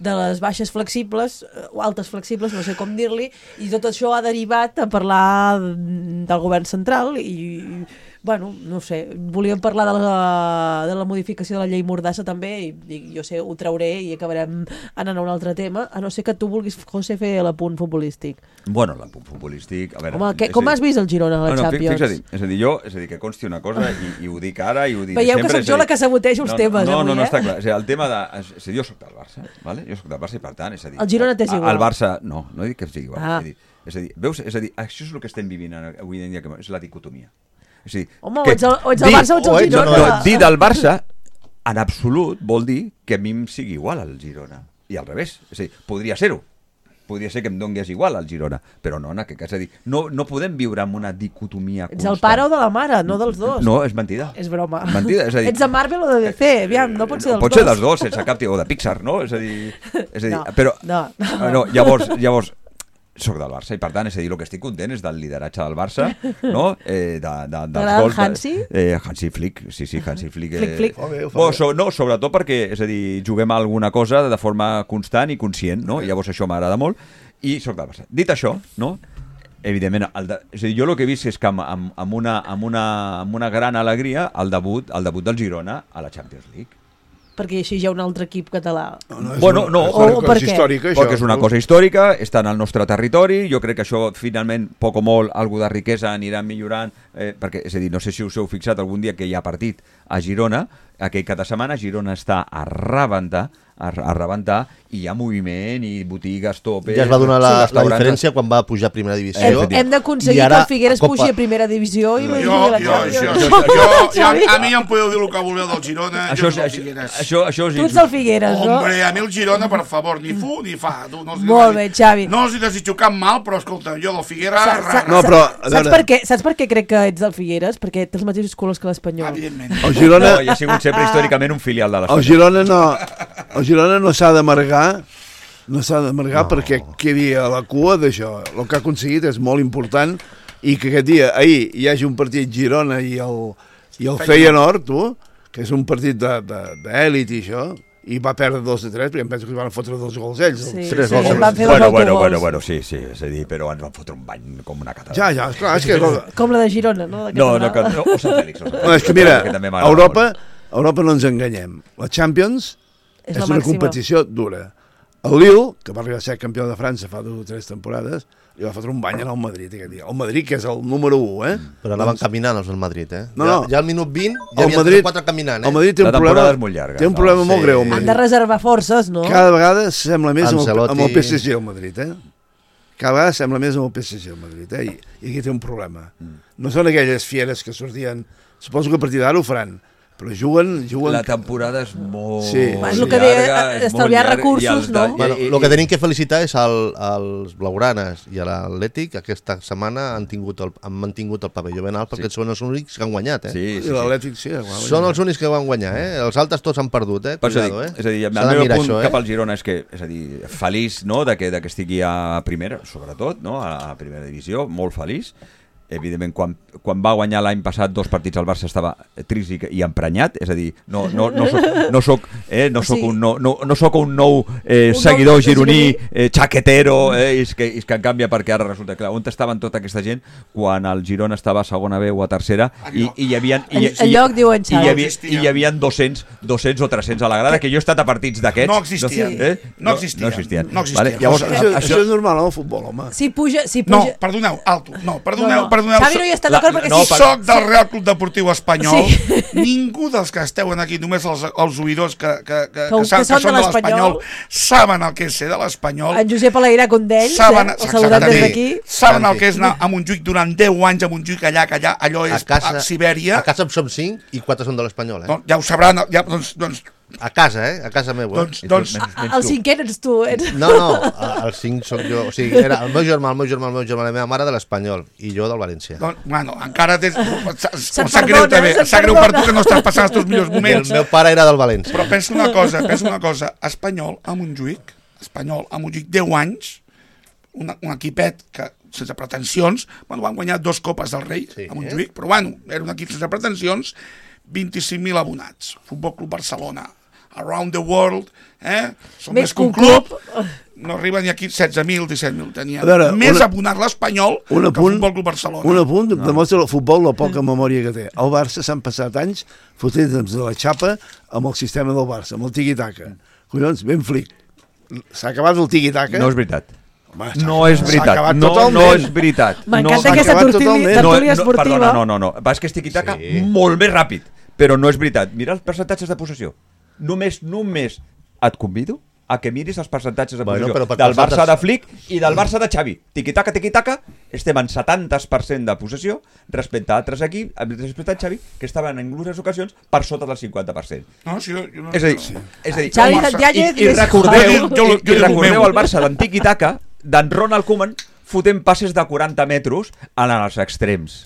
de les baixes flexibles, o altes flexibles, no sé com dir-li, i tot això ha derivat a parlar del govern central i, bueno, no sé, volíem parlar de la, de la modificació de la llei Mordassa també, i, i jo sé, ho trauré i acabarem anant a un altre tema, a no ser que tu vulguis, José, fer l'apunt futbolístic. Bueno, l'apunt futbolístic... A veure, home, que, com dir, has vist el Girona a la no, no, Champions? Fixa't, és a dir, jo, és a dir, que consti una cosa i, i ho dic ara i ho diré Veieu sempre... Veieu que soc jo la que sabotejo els no, temes, no, avui, no, no, eh? està clar. És a dir, el tema de... És a dir, jo soc del Barça, vale? Jo soc del Barça i per tant, és a dir... El Girona t'és igual? El Barça, no, no dic que sigui igual. Ah. És a dir, és a dir, veus, és a dir, això és el que estem vivint avui en dia, que és la dicotomia. És a dir, home, o ets el, o ets el Barça o ets el Girona. No, no, dir del Barça, en absolut, vol dir que a mi em sigui igual al Girona. I al revés. És a dir, podria ser-ho. Podria ser que em dongués igual al Girona, però no en aquest cas. És a dir, no, no podem viure amb una dicotomia constant. Ets el pare o de la mare, no dels dos. No, és mentida. És broma. És mentida, és a dir... Ets de Marvel o de D C? Aviam, no pot ser dels pot dos. Pot ser dels dos, sense cap tipus, o de Pixar, no? És a dir... És a dir no, però, no, no. no, llavors, llavors, soc del Barça i per tant, és a dir, el que estic content és del lideratge del Barça, no? Eh, de, de, dels gols... Hansi? Eh, Hansi Flick, sí, sí, Hansi Flick. Eh, flick, flick. Oh, bé, oh, so, no, sobretot perquè, és a dir, juguem a alguna cosa de forma constant i conscient, no? I llavors això m'agrada molt i soc del Barça. Dit això, no? Evidentment, el de, és a dir, jo el que he vist és que amb, amb, amb, una, amb, una, amb una gran alegria el debut, el debut del Girona a la Champions League. Perquè així hi ha un altre equip català. No, no, bueno, una, no, és una o, cosa històrica, això. Perquè és una cosa històrica, està en el nostre territori, jo crec que això finalment, poc o molt, algo de riquesa anirà millorant, eh, perquè, és a dir, no sé si us heu fixat algun dia que hi ha partit a Girona, aquell cada setmana Girona està a rebentar, a, a rebentar, i hi ha moviment i botigues, topes... Ja es va donar la, sí. la diferència quan va pujar a primera divisió. Hem, hem d'aconseguir que el Figueres Copa... pugi a primera divisió i... Jo, jo, jo, jo, jo, jo, jo, a mi ja em podeu dir el que voleu del Girona, això, jo soc el Figueres. Això, això, tu ets el Figueres, no? Hombre, a mi el Girona, per favor, ni fu ni fa. Tu, no Molt bé, Xavi. No els hi desitjo cap mal, però escolta, jo del Figueres... Sa, sa, no, però, saps, per què, saps per què crec que ets del Figueres? Perquè té els mateixos colors que l'Espanyol. Evidentment. El Girona... No, i ha sigut sempre històricament un filial de l'Espanyol. El Girona no, el Girona no s'ha d'amargar, no s'ha d'amargar no. perquè quedi a la cua d'això. El que ha aconseguit és molt important i que aquest dia, ahir, hi hagi un partit Girona i el, i el Feyenoord, tu, que és un partit d'èlit i això, i va perdre dos de tres, perquè em penso que van fotre dos gols ells. Sí, tres sí, gols. van fer bueno, bueno, bueno, bueno, sí, sí, és a dir, però ens van fotre un bany com una catedral. Ja, ja, clar, és que... Com la de Girona, no? De no, no, no, o Sant Fèlix. O Sant Fèlix. No, és que mira, a Europa, a Europa no ens enganyem. La Champions és, és una competició dura. El Lille, que va arribar a ser campió de França fa dues o tres temporades, li va fotre un bany al Madrid aquest dia. El Madrid, que és el número u, eh? Però anaven doncs... caminant els del Madrid, eh? No, no. Ja, ja al minut vint ja havia Madrid, quatre caminant, eh? El Madrid té un problema, llarga, té un problema no? molt sí. greu. Han de reservar forces, no? Cada vegada sembla més amb el, amb el P S G al Madrid, eh? Cada vegada sembla més amb el P S G al Madrid, eh? I, i aquí té un problema. Mm. No són aquelles fieres que sortien... Suposo que a partir d'ara ho faran. però juguen... juguen... La temporada és molt sí. És el que deia, estalviar recursos, no? Bueno, el que tenim que felicitar és el, els blaugranes i l'Atlètic, aquesta setmana han, tingut el, han mantingut el pavelló ben alt perquè sí. són els únics que han guanyat, eh? Sí, sí, sí. L'Atlètic sí. Són els únics que van guanyar, eh? Els altres tots han perdut, eh? Cuidado, eh? És a dir, el meu punt això, eh? cap al Girona és que, és a dir, feliç, no?, de que, de que estigui a primera, sobretot, no?, a primera divisió, molt feliç. Evidentment, quan, quan va guanyar l'any passat dos partits al Barça estava trist i, i emprenyat, és a dir, no, no, no soc, no soc, eh, no soc, sí. un, no, no, no soc un nou eh, un seguidor nou, gironí, eh, xaquetero, eh, és, que, és que en canvia perquè ara resulta clar, on estaven tota aquesta gent quan el Girona estava a segona B o a tercera i, i hi havia i, i, el lloc, diuen i, hi havia, i hi havia dos-cents, dos-cents o tres-cents a la grada, que jo he estat a partits d'aquests. No existien. No, eh? no, no existien. No existien. No existien. Vale, llavors, això, això, això és normal, no, el futbol, home. Si puja... Si puja... No, perdoneu, alto. No, perdoneu, no, no. perdoneu. Xavi no hi està d'acord perquè no, sí. Soc del Real Club Deportiu Espanyol. Sí. Ningú dels que esteu aquí, només els, els oïdors que, que, que, que, que, saben, que, que són de l'Espanyol, saben el que és ser de l'Espanyol. En Josep Aleirà Condells, saben, eh? El saludat des d'aquí. Saben el que és anar a Montjuïc durant deu anys a Montjuïc, allà, que allà, allò és a, casa, a Sibèria. A casa en som cinc i quatre són de l'Espanyol, eh? No, ja ho sabran, ja, doncs, doncs a casa, eh? A casa meva. Doncs, doncs, menys, menys el cinquè ets tu. Ets... No, no, el cinc soc jo. O sigui, era el meu germà, el meu germà, el meu germà, la meva mare de l'Espanyol i jo del València. Doncs, bueno, encara tens... Em sap greu també, em sap greu per tu que no estàs passant els teus millors moments. El meu pare era del València. Però pensa una cosa, pensa una cosa. Espanyol a Montjuïc, Espanyol a Montjuïc, deu anys, un, un equipet que sense pretensions, bueno, van guanyar dos copes del Rei sí, a Montjuïc, eh? Però bueno, era un equip sense pretensions, vint-i-cinc mil abonats, Futbol Club Barcelona, Around the World, eh? Som més, més que un club, club, no arriba ni aquí setze mil, disset mil, tenia veure, més una, abonat l'Espanyol que el Futbol Club Barcelona. Un apunt no. demostra el futbol la poca memòria que té. El Barça s'han passat anys fotent de la xapa amb el sistema del Barça, amb el tiqui-taca. Collons, ben flic. S'ha acabat el tiqui-taca. No és veritat. Home, no és veritat, no, no és veritat. M'encanta no, aquesta tertúlia no, esportiva. Perdona, no, no, no, va, és que és tiqui-taca sí. molt més ràpid, però no és veritat. Mira els percentatges de possessió. Només, només et convido a que miris els percentatges de bueno, possessió del Barça de Flick i del Barça de Xavi. Tiqui-taca, tiqui-taca, estem en setanta per cent de possessió respecte a altres equips, respecte a Xavi, que estaven en algunes ocasions per sota del cinquanta per cent. No, sí, jo no... És a dir, és a dir Xavi Santiago i, i recordeu, jo, jo, i recordeu el Barça d'en tiqui-taca, d'en Ronald Koeman, fotent passes de quaranta metres en els extrems.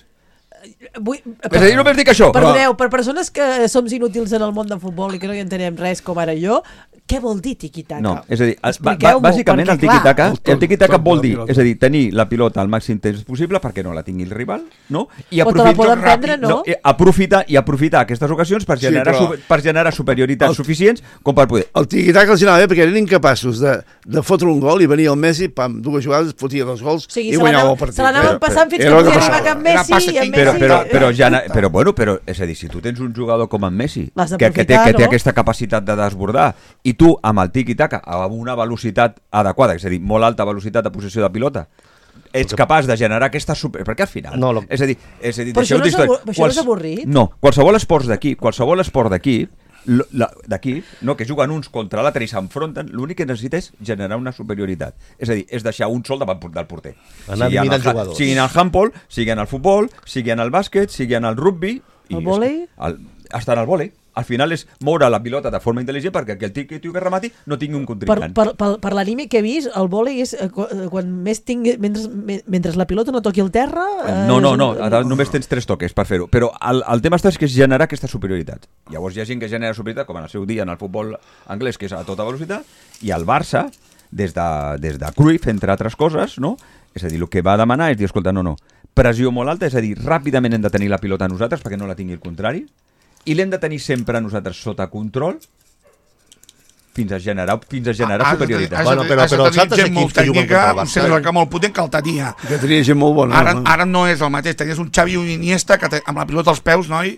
Vull, per, és a dir, només dic això. Perdoneu, per persones que som inútils en el món del futbol i que no hi entenem res com ara jo, què vol dir tiqui-taca? No, és a dir, ba, ba, bàsicament el tiqui-taca, el tiqui-taca vol dir, és a dir, tenir la pilota al màxim temps possible perquè no la tingui el rival, no? I aprofitar, prendre, no? no i aprofitar i aprofitar aquestes ocasions per generar, sí, però... per generar superioritats el, suficients com per poder. El tiqui-taca els anava bé perquè eren incapaços de, de fotre un gol i venia el Messi, pam, dues jugades, fotia dos gols o sigui, i guanyava el partit. Se l'anaven passant fins que podia arribar cap Messi i en Messi... Però, però, però, ja, però, bueno, però, és a dir, si tu tens un jugador com en Messi, que, que, té, que té aquesta capacitat de desbordar, i tu amb el tiqui-taca amb una velocitat adequada, és a dir, molt alta velocitat de possessió de pilota, ets capaç de generar aquesta super... Perquè al final... No, lo... És a dir, és a dir però això, no és, abur... Quals... això no és avorrit? No, qualsevol esport d'aquí, qualsevol esport d'aquí, d'aquí, no, que juguen uns contra l'altre i s'enfronten, l'únic que necessita és generar una superioritat. És a dir, és deixar un sol davant del porter. Anar sigui, en el, sigui en el handball, sigui en el futbol, sigui en el bàsquet, sigui en el rugby... El vòlei? Està en el vòlei. Al final és moure la pilota de forma intel·ligent perquè que el tio que remati no tingui un contrincant. Per, per, per, per l'anime que he vist, el vòlei és eh, quan més tingui, mentre, mentre la pilota no toqui el terra... Eh, no, no, no, només tens tres toques per fer-ho. Però el, el tema està és que és generar aquesta superioritat. Llavors hi ha gent que genera superioritat, com en el seu dia en el futbol anglès, que és a tota velocitat, i el Barça, des de, des de Cruyff, entre altres coses, no? És a dir, el que va demanar és dir, escolta, no, no, pressió molt alta, és a dir, ràpidament hem de tenir la pilota nosaltres perquè no la tingui el contrari, i l'hem de tenir sempre nosaltres sota control fins a generar, fins a generar ah, superioritat. Has de, bueno, però, has però els altres equips que juguen contra el Barça... Un centre molt potent que el tenia. Que tenia gent molt bona. Ara, ara no és el mateix. Tenies un Xavi i un Iniesta que te, amb la pilota als peus, noi...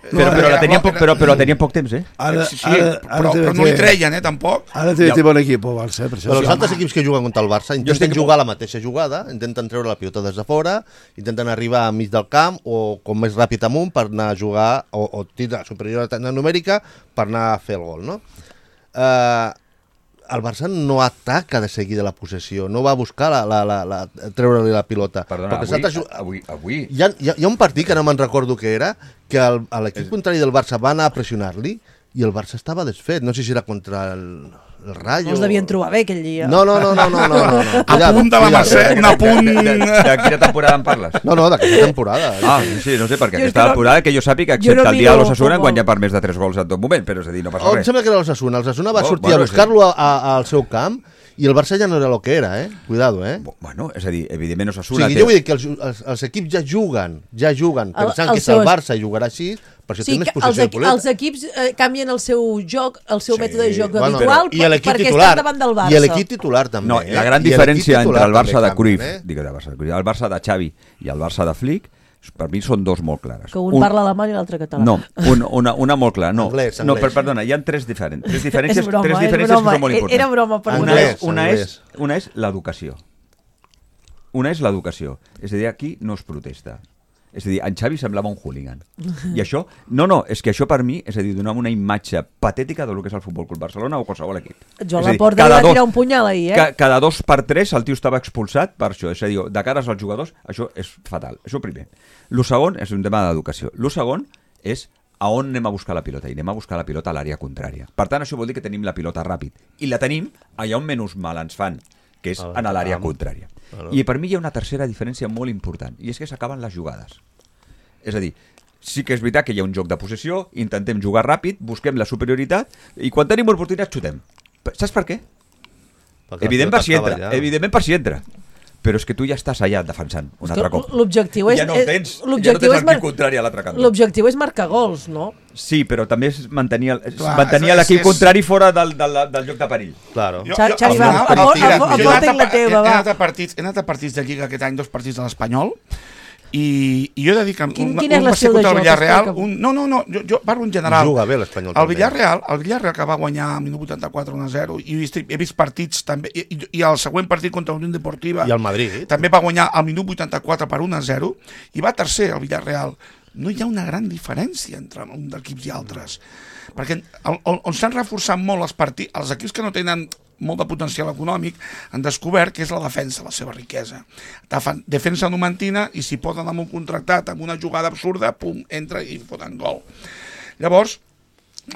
Però, però, la tenien poc, però, però la tenien poc temps, eh? Ara, sí, sí, ara, ara però, però no li treien, eh, tampoc. Ara té, té bon equip, el Barça, eh, per això. Però els altres equips que juguen contra el Barça intenten jugar la mateixa jugada, intenten treure la pilota des de fora, intenten arribar a mig del camp o com més ràpid amunt per anar a jugar, o, o tindre superioritat numèrica per anar a fer el gol, no? Uh, el Barça no ataca de seguida la possessió, no va buscar la, la, la, la, treure-li la pilota. Perdona, avui, altres... avui, avui... Hi ha, hi, ha, hi ha un partit que no me'n recordo què era, que l'equip es... contrari del Barça va anar a pressionar-li i el Barça estava desfet. No sé si era contra el, el Rayo... No els devien trobar bé aquell dia. No, no, no, no, no, no, no, no. A punt de la Mercè, un apunt... De, de, de quina temporada en parles? No, no, d'aquesta temporada. Ah, sí, no sé, perquè jo aquesta temporada, no, que jo sàpiga, excepte no el dia de l'Osasuna, han guanyat per més de tres gols en tot moment, però és a dir, no passa oh, res. Em sembla que era l'Osasuna. L'Osasuna va oh, sortir bueno, a buscar-lo sí. al seu camp i el Barça ja no era el que era, eh? Cuidado, eh? Bueno, és a dir, evidentment Osasuna... O sigui, té... jo vull dir que els, els, els equips ja juguen, ja juguen, pensant el, el que és el Barça i jugarà així, per això sí, té més possessió de pilota. Els equips eh, canvien el seu joc, el seu sí, mètode de joc bueno, habitual per, perquè titular, estan davant del Barça. I l'equip titular també. No, eh? La gran I diferència entre el Barça de Cruyff, eh? digue, de Barça, el Barça de Xavi i el Barça de Flick, per mi són dos molt clares. Que un, un parla alemany i l'altre català. No, un, una, una molt clara. No, anglès, anglès. no per, perdona, hi ha tres, diferents, tres diferències, broma, tres diferències broma, que són molt importants. Era broma per una, anglès, és, una, anglès. és, una és l'educació. Una és l'educació. És a dir, aquí no es protesta. És a dir, en Xavi semblava un hooligan. I això, no, no, és que això per mi, és a dir, donava una imatge patètica del que és el Futbol Club Barcelona o qualsevol equip. Joan Laporta li va tirar un punyal ahir, eh? Ca, cada dos per tres el tio estava expulsat per això. És a dir, de cares als jugadors, això és fatal. Això primer. Lo segon és un tema d'educació. Lo segon és a on anem a buscar la pilota. I anem a buscar la pilota a l'àrea contrària. Per tant, això vol dir que tenim la pilota ràpid. I la tenim allà on menys mal ens fan, que és en l'àrea contrària. I per mi hi ha una tercera diferència molt important, i és que s'acaben les jugades. És a dir, sí que és veritat que hi ha un joc de possessió, intentem jugar ràpid, busquem la superioritat, i quan tenim oportunitat xutem. Saps per què? Perquè evident per si entra, ja. evidentment per si entra. Però és que tu ja estàs allà defensant un altre cop. L'objectiu és... Ja no el tens, ja no tens el mar... contrari a l'altre cantó. L'objectiu és marcar gols, no? Sí, però també és mantenir, el, Clar, mantenir l'equip és... contrari fora del, del, del joc de perill. Claro. Jo, jo, Xavi, va, aporta la teva, va. He anat a partits de Lliga aquest any, dos partits de l'Espanyol, i, i jo he de dir que Quin, un, quin un va ser contra el Villarreal, un, no, no, no, jo, jo parlo en general. Juga bé l'Espanyol el Villarreal, el Villarreal que va guanyar al minut vuitanta-quatre un a zero, i he vist, he vist partits també, i, i el següent partit contra l'Unió Deportiva i el Madrid també va guanyar al minut vuitanta-quatre per un a zero, i va tercer el Villarreal. No hi ha una gran diferència entre un d'equips i altres, perquè on, on s'han reforçat molt els partits, els equips que no tenen molt de potencial econòmic, han descobert que és la defensa, la seva riquesa. Defensa numantina, i si poden amb un contractat, amb una jugada absurda, pum, entra i foten gol. Llavors,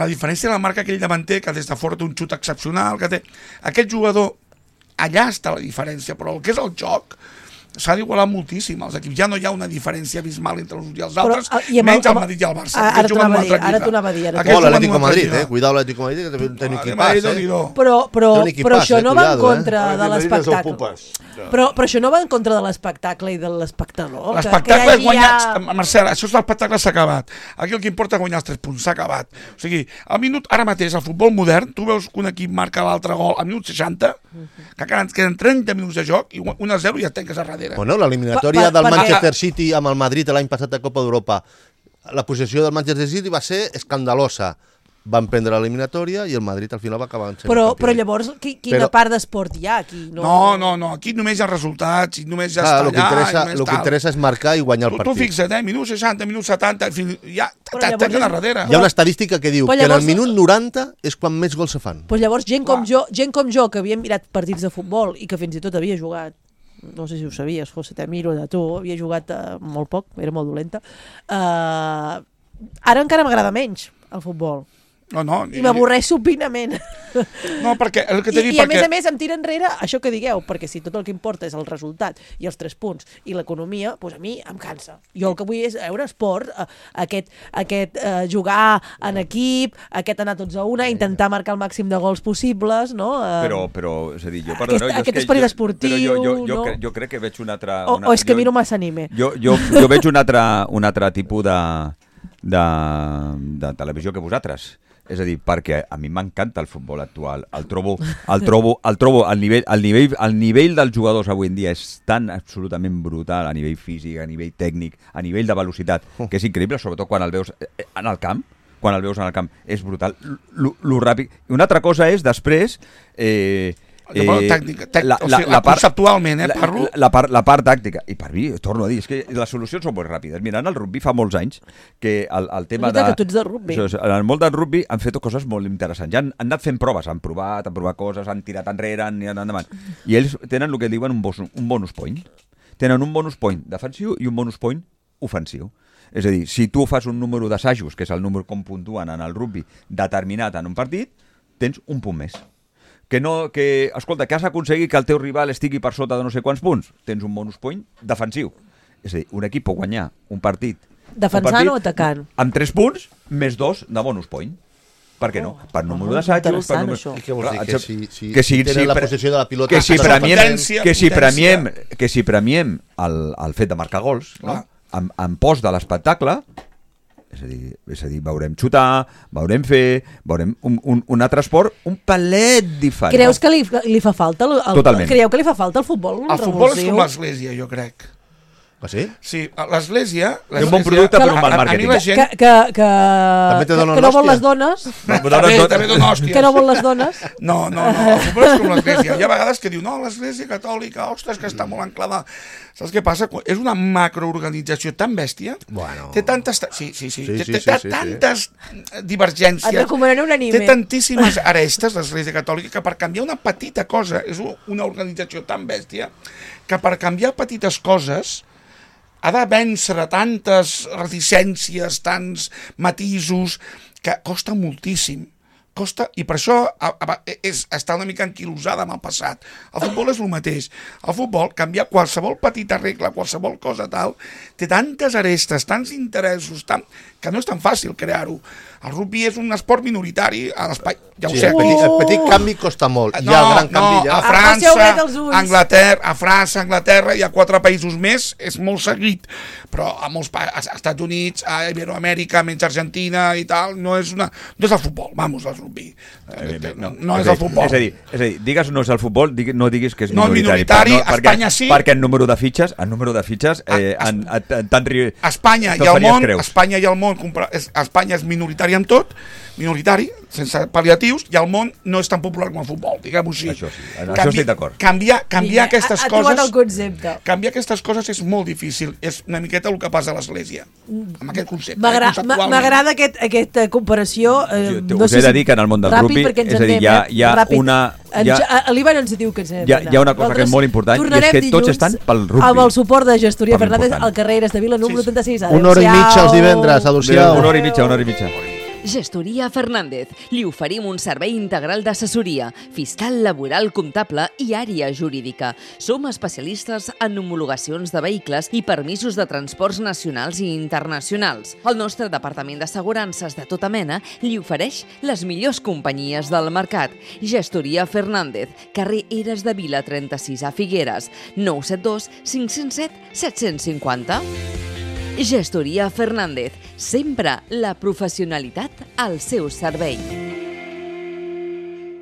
la diferència la marca aquell davanter que des de fora té un xut excepcional, que té... Aquest jugador, allà està la diferència, però el que és el joc s'ha d'igualar moltíssim. Els equips ja no hi ha una diferència abismal entre els uns i els altres, però, i menys el Madrid i el Barça. Ara t'ho anava a dir, ara t'ho anava a dir. O l'Atlético Madrid, eh? Cuidao l'Atlético Madrid, que té un equipàs, eh? Però, però, però això no va en contra de l'espectacle. Però, però això no va en contra de l'espectacle i de l'espectador. L'espectacle és guanyar... Marcel, això és l'espectacle, s'ha acabat. Aquí el que importa és guanyar els tres punts, s'ha acabat. O sigui, al minut, ara mateix, al futbol modern, tu veus que un equip marca l'altre gol al minut seixanta, que queden trenta minuts de joc, i un a zero i ja et tanques a darrere. Bueno, l'eliminatòria del Manchester City amb el Madrid l'any passat a Copa d'Europa, la posició del Manchester City va ser escandalosa. Van prendre l'eliminatòria i el Madrid al final va acabar en però, però llavors, qui, quina però, part d'esport hi ha aquí? No, no, no, no, aquí només hi ha resultats i només ja clar, està allà. El que interessa és marcar i guanyar el partit. Tu, tu fixa't, eh, minut seixanta, minut setanta, fins, ja t'atenc a darrere. Hi ha una estadística que diu llavors, que en el minut noranta és quan més gols se fan. Pues llavors gent com, jo, gent com jo, que havia mirat partits de futbol i que fins i tot havia jugat, no sé si ho sabies, José, te miro de tu, havia jugat uh, molt poc, era molt dolenta, uh, ara encara m'agrada menys el futbol. No, no, I m'avorreix supinament. No, perquè el que t'he dit... I, i a perquè... més a més em tira enrere això que digueu, perquè si tot el que importa és el resultat i els tres punts i l'economia, doncs a mi em cansa. Jo el que vull és veure esport, eh, aquest, aquest eh, jugar en equip, aquest anar tots a una, intentar marcar el màxim de gols possibles, no? Eh, però, però, és a dir, jo... Perdoneu, aquest, jo aquest esperit esportiu, jo, jo, jo, no? Cre, jo crec que veig un altre... O, una, o és que jo, miro massa anime. Jo, jo, jo veig un altre, un altre tipus de, de, de televisió que vosaltres. És a dir, perquè a mi m'encanta el futbol actual, el trobo, el trobo, el trobo, el nivell, el nivell, el nivell dels jugadors avui en dia és tan absolutament brutal a nivell físic, a nivell tècnic, a nivell de velocitat, que és increïble, sobretot quan el veus en el camp, quan el veus en el camp, és brutal, lo ràpid. I una altra cosa és, després, eh, Eh, tècnica, tec, la, o sigui, la, la part, conceptualment, eh, parlo... La, la, part, la part tàctica, i per mi, torno a dir, és que les solucions són molt ràpides. Mira, en el rugby fa molts anys que el, el tema de... que tu ets de rugby. En el món del rugby han fet coses molt interessants. Ja han, han anat fent proves, han provat, han provat coses, han tirat enrere, han anat endavant. I ells tenen el que diuen un bonus, un bonus point. Tenen un bonus point defensiu i un bonus point ofensiu. És a dir, si tu fas un número d'assajos, que és el número com puntuen en el rugby, determinat en un partit, tens un punt més. Que no, que, escolta, que has aconseguit que el teu rival estigui per sota de no sé quants punts, tens un bonus point defensiu. És a dir, un equip pot guanyar un partit... Defensant un partit, o atacant? Amb tres punts, més dos de bonus point. Per què no? Per número d'assajos... Per número... I què vols dir? Que si, si, que si tenen si, la possessió de la pilota... Que si premiem, que si premiem, potència. que si premiem el, el fet de marcar gols, no? en, en post de l'espectacle... És a dir, és a dir, veurem xutar, veurem fer, veurem un, un, un altre esport un palet diferent. Creus que li, li fa falta el, el, Totalment. Creieu que li fa falta el futbol El futbol és com l'església, jo crec. Ah, sí? Sí, l'església... És un bon producte per un mal màrqueting. Gent... Que, que, que, També te donen que no vol hòstia. les dones. No, també, també dona hòsties. Que no vol les dones. No, no, no, el futbol és com l'església. Hi ha vegades que diu, no, l'església catòlica, ostres, que està molt anclada. Saps què passa? És una macroorganització tan bèstia, bueno. té tantes... Sí, sí, sí, Sí, té, sí, té, sí, té sí, tantes Et divergències, recomanaré un anime. té tantíssimes arestes l'església catòlica que per canviar una petita cosa, és una organització tan bèstia, que per canviar petites coses ha de vèncer tantes reticències, tants matisos, que costa moltíssim. Costa, i per això a, a, és, està una mica enquilosada amb el passat. El futbol és el mateix. El futbol, canviar qualsevol petita regla, qualsevol cosa tal, té tantes arestes, tants interessos, tan, que no és tan fàcil crear-ho. El rugby és un esport minoritari a l'espai. Ja ho Sí, sé. el, petit, el petit canvi costa molt. No, Ja el gran canvi no, ja... a França, Anglaterra, a França, Anglaterra, hi ha quatre països més, és molt seguit, però a molts pa als Estats Units, a Iberoamèrica, menys Argentina i tal, no és una, no és el futbol, vamos, el rugby. Eh, no, no és el futbol. És a dir, és a dir, digues no és el futbol, digui, no diguis que és No, minoritari. minoritari, per, no, Espanya perquè, sí. Perquè en número de fitxes, en número de fitxes, eh, A- en, en, en tant ri... Espanya i te'l el faries món, creus. Espanya i el món, compra- és- Espanya és minoritari en tot, minoritari, sense pal·liatius, i el món no és tan popular com el futbol, diguem-ho així. Això sí, en això estic d'acord. Canviar, canviar aquestes ha, ha trobat coses... el concepte. Canviar aquestes coses és molt difícil, és una miqueta el que passa a l'Església, amb aquest concepte. M'agra- eh, conceptualment. M'agrada aquest, aquesta comparació. Eh, Jo no us sé he de si dir que en el món del ràpid, rugby, perquè ens és a dir, anem, hi ha, eh? hi ha Ràpid. una... En, Hi ha, a l'Ivan ens diu que ens hem hi ha, hi ha una cosa que és molt important, i és que tots estan pel rugby. Amb el suport de Gestoria Per Fernández l'important. al carrer Eres de Vila, número Sí, sí. trenta-sis. Una hora i mitja els divendres, adeu-siau. Una hora i mitja, una hora i mitja. Gestoria Fernández. Li oferim un servei integral d'assessoria, fiscal, laboral, comptable i àrea jurídica. Som especialistes en homologacions de vehicles i permisos de transports nacionals i internacionals. El nostre departament d'assegurances de tota mena li ofereix les millors companyies del mercat. Gestoria Fernández, carrer Eres de Vila trenta-sis a Figueres, nou set dos cinc zero set set cinc zero. Gestoria Fernández, sempre la professionalitat al seu servei.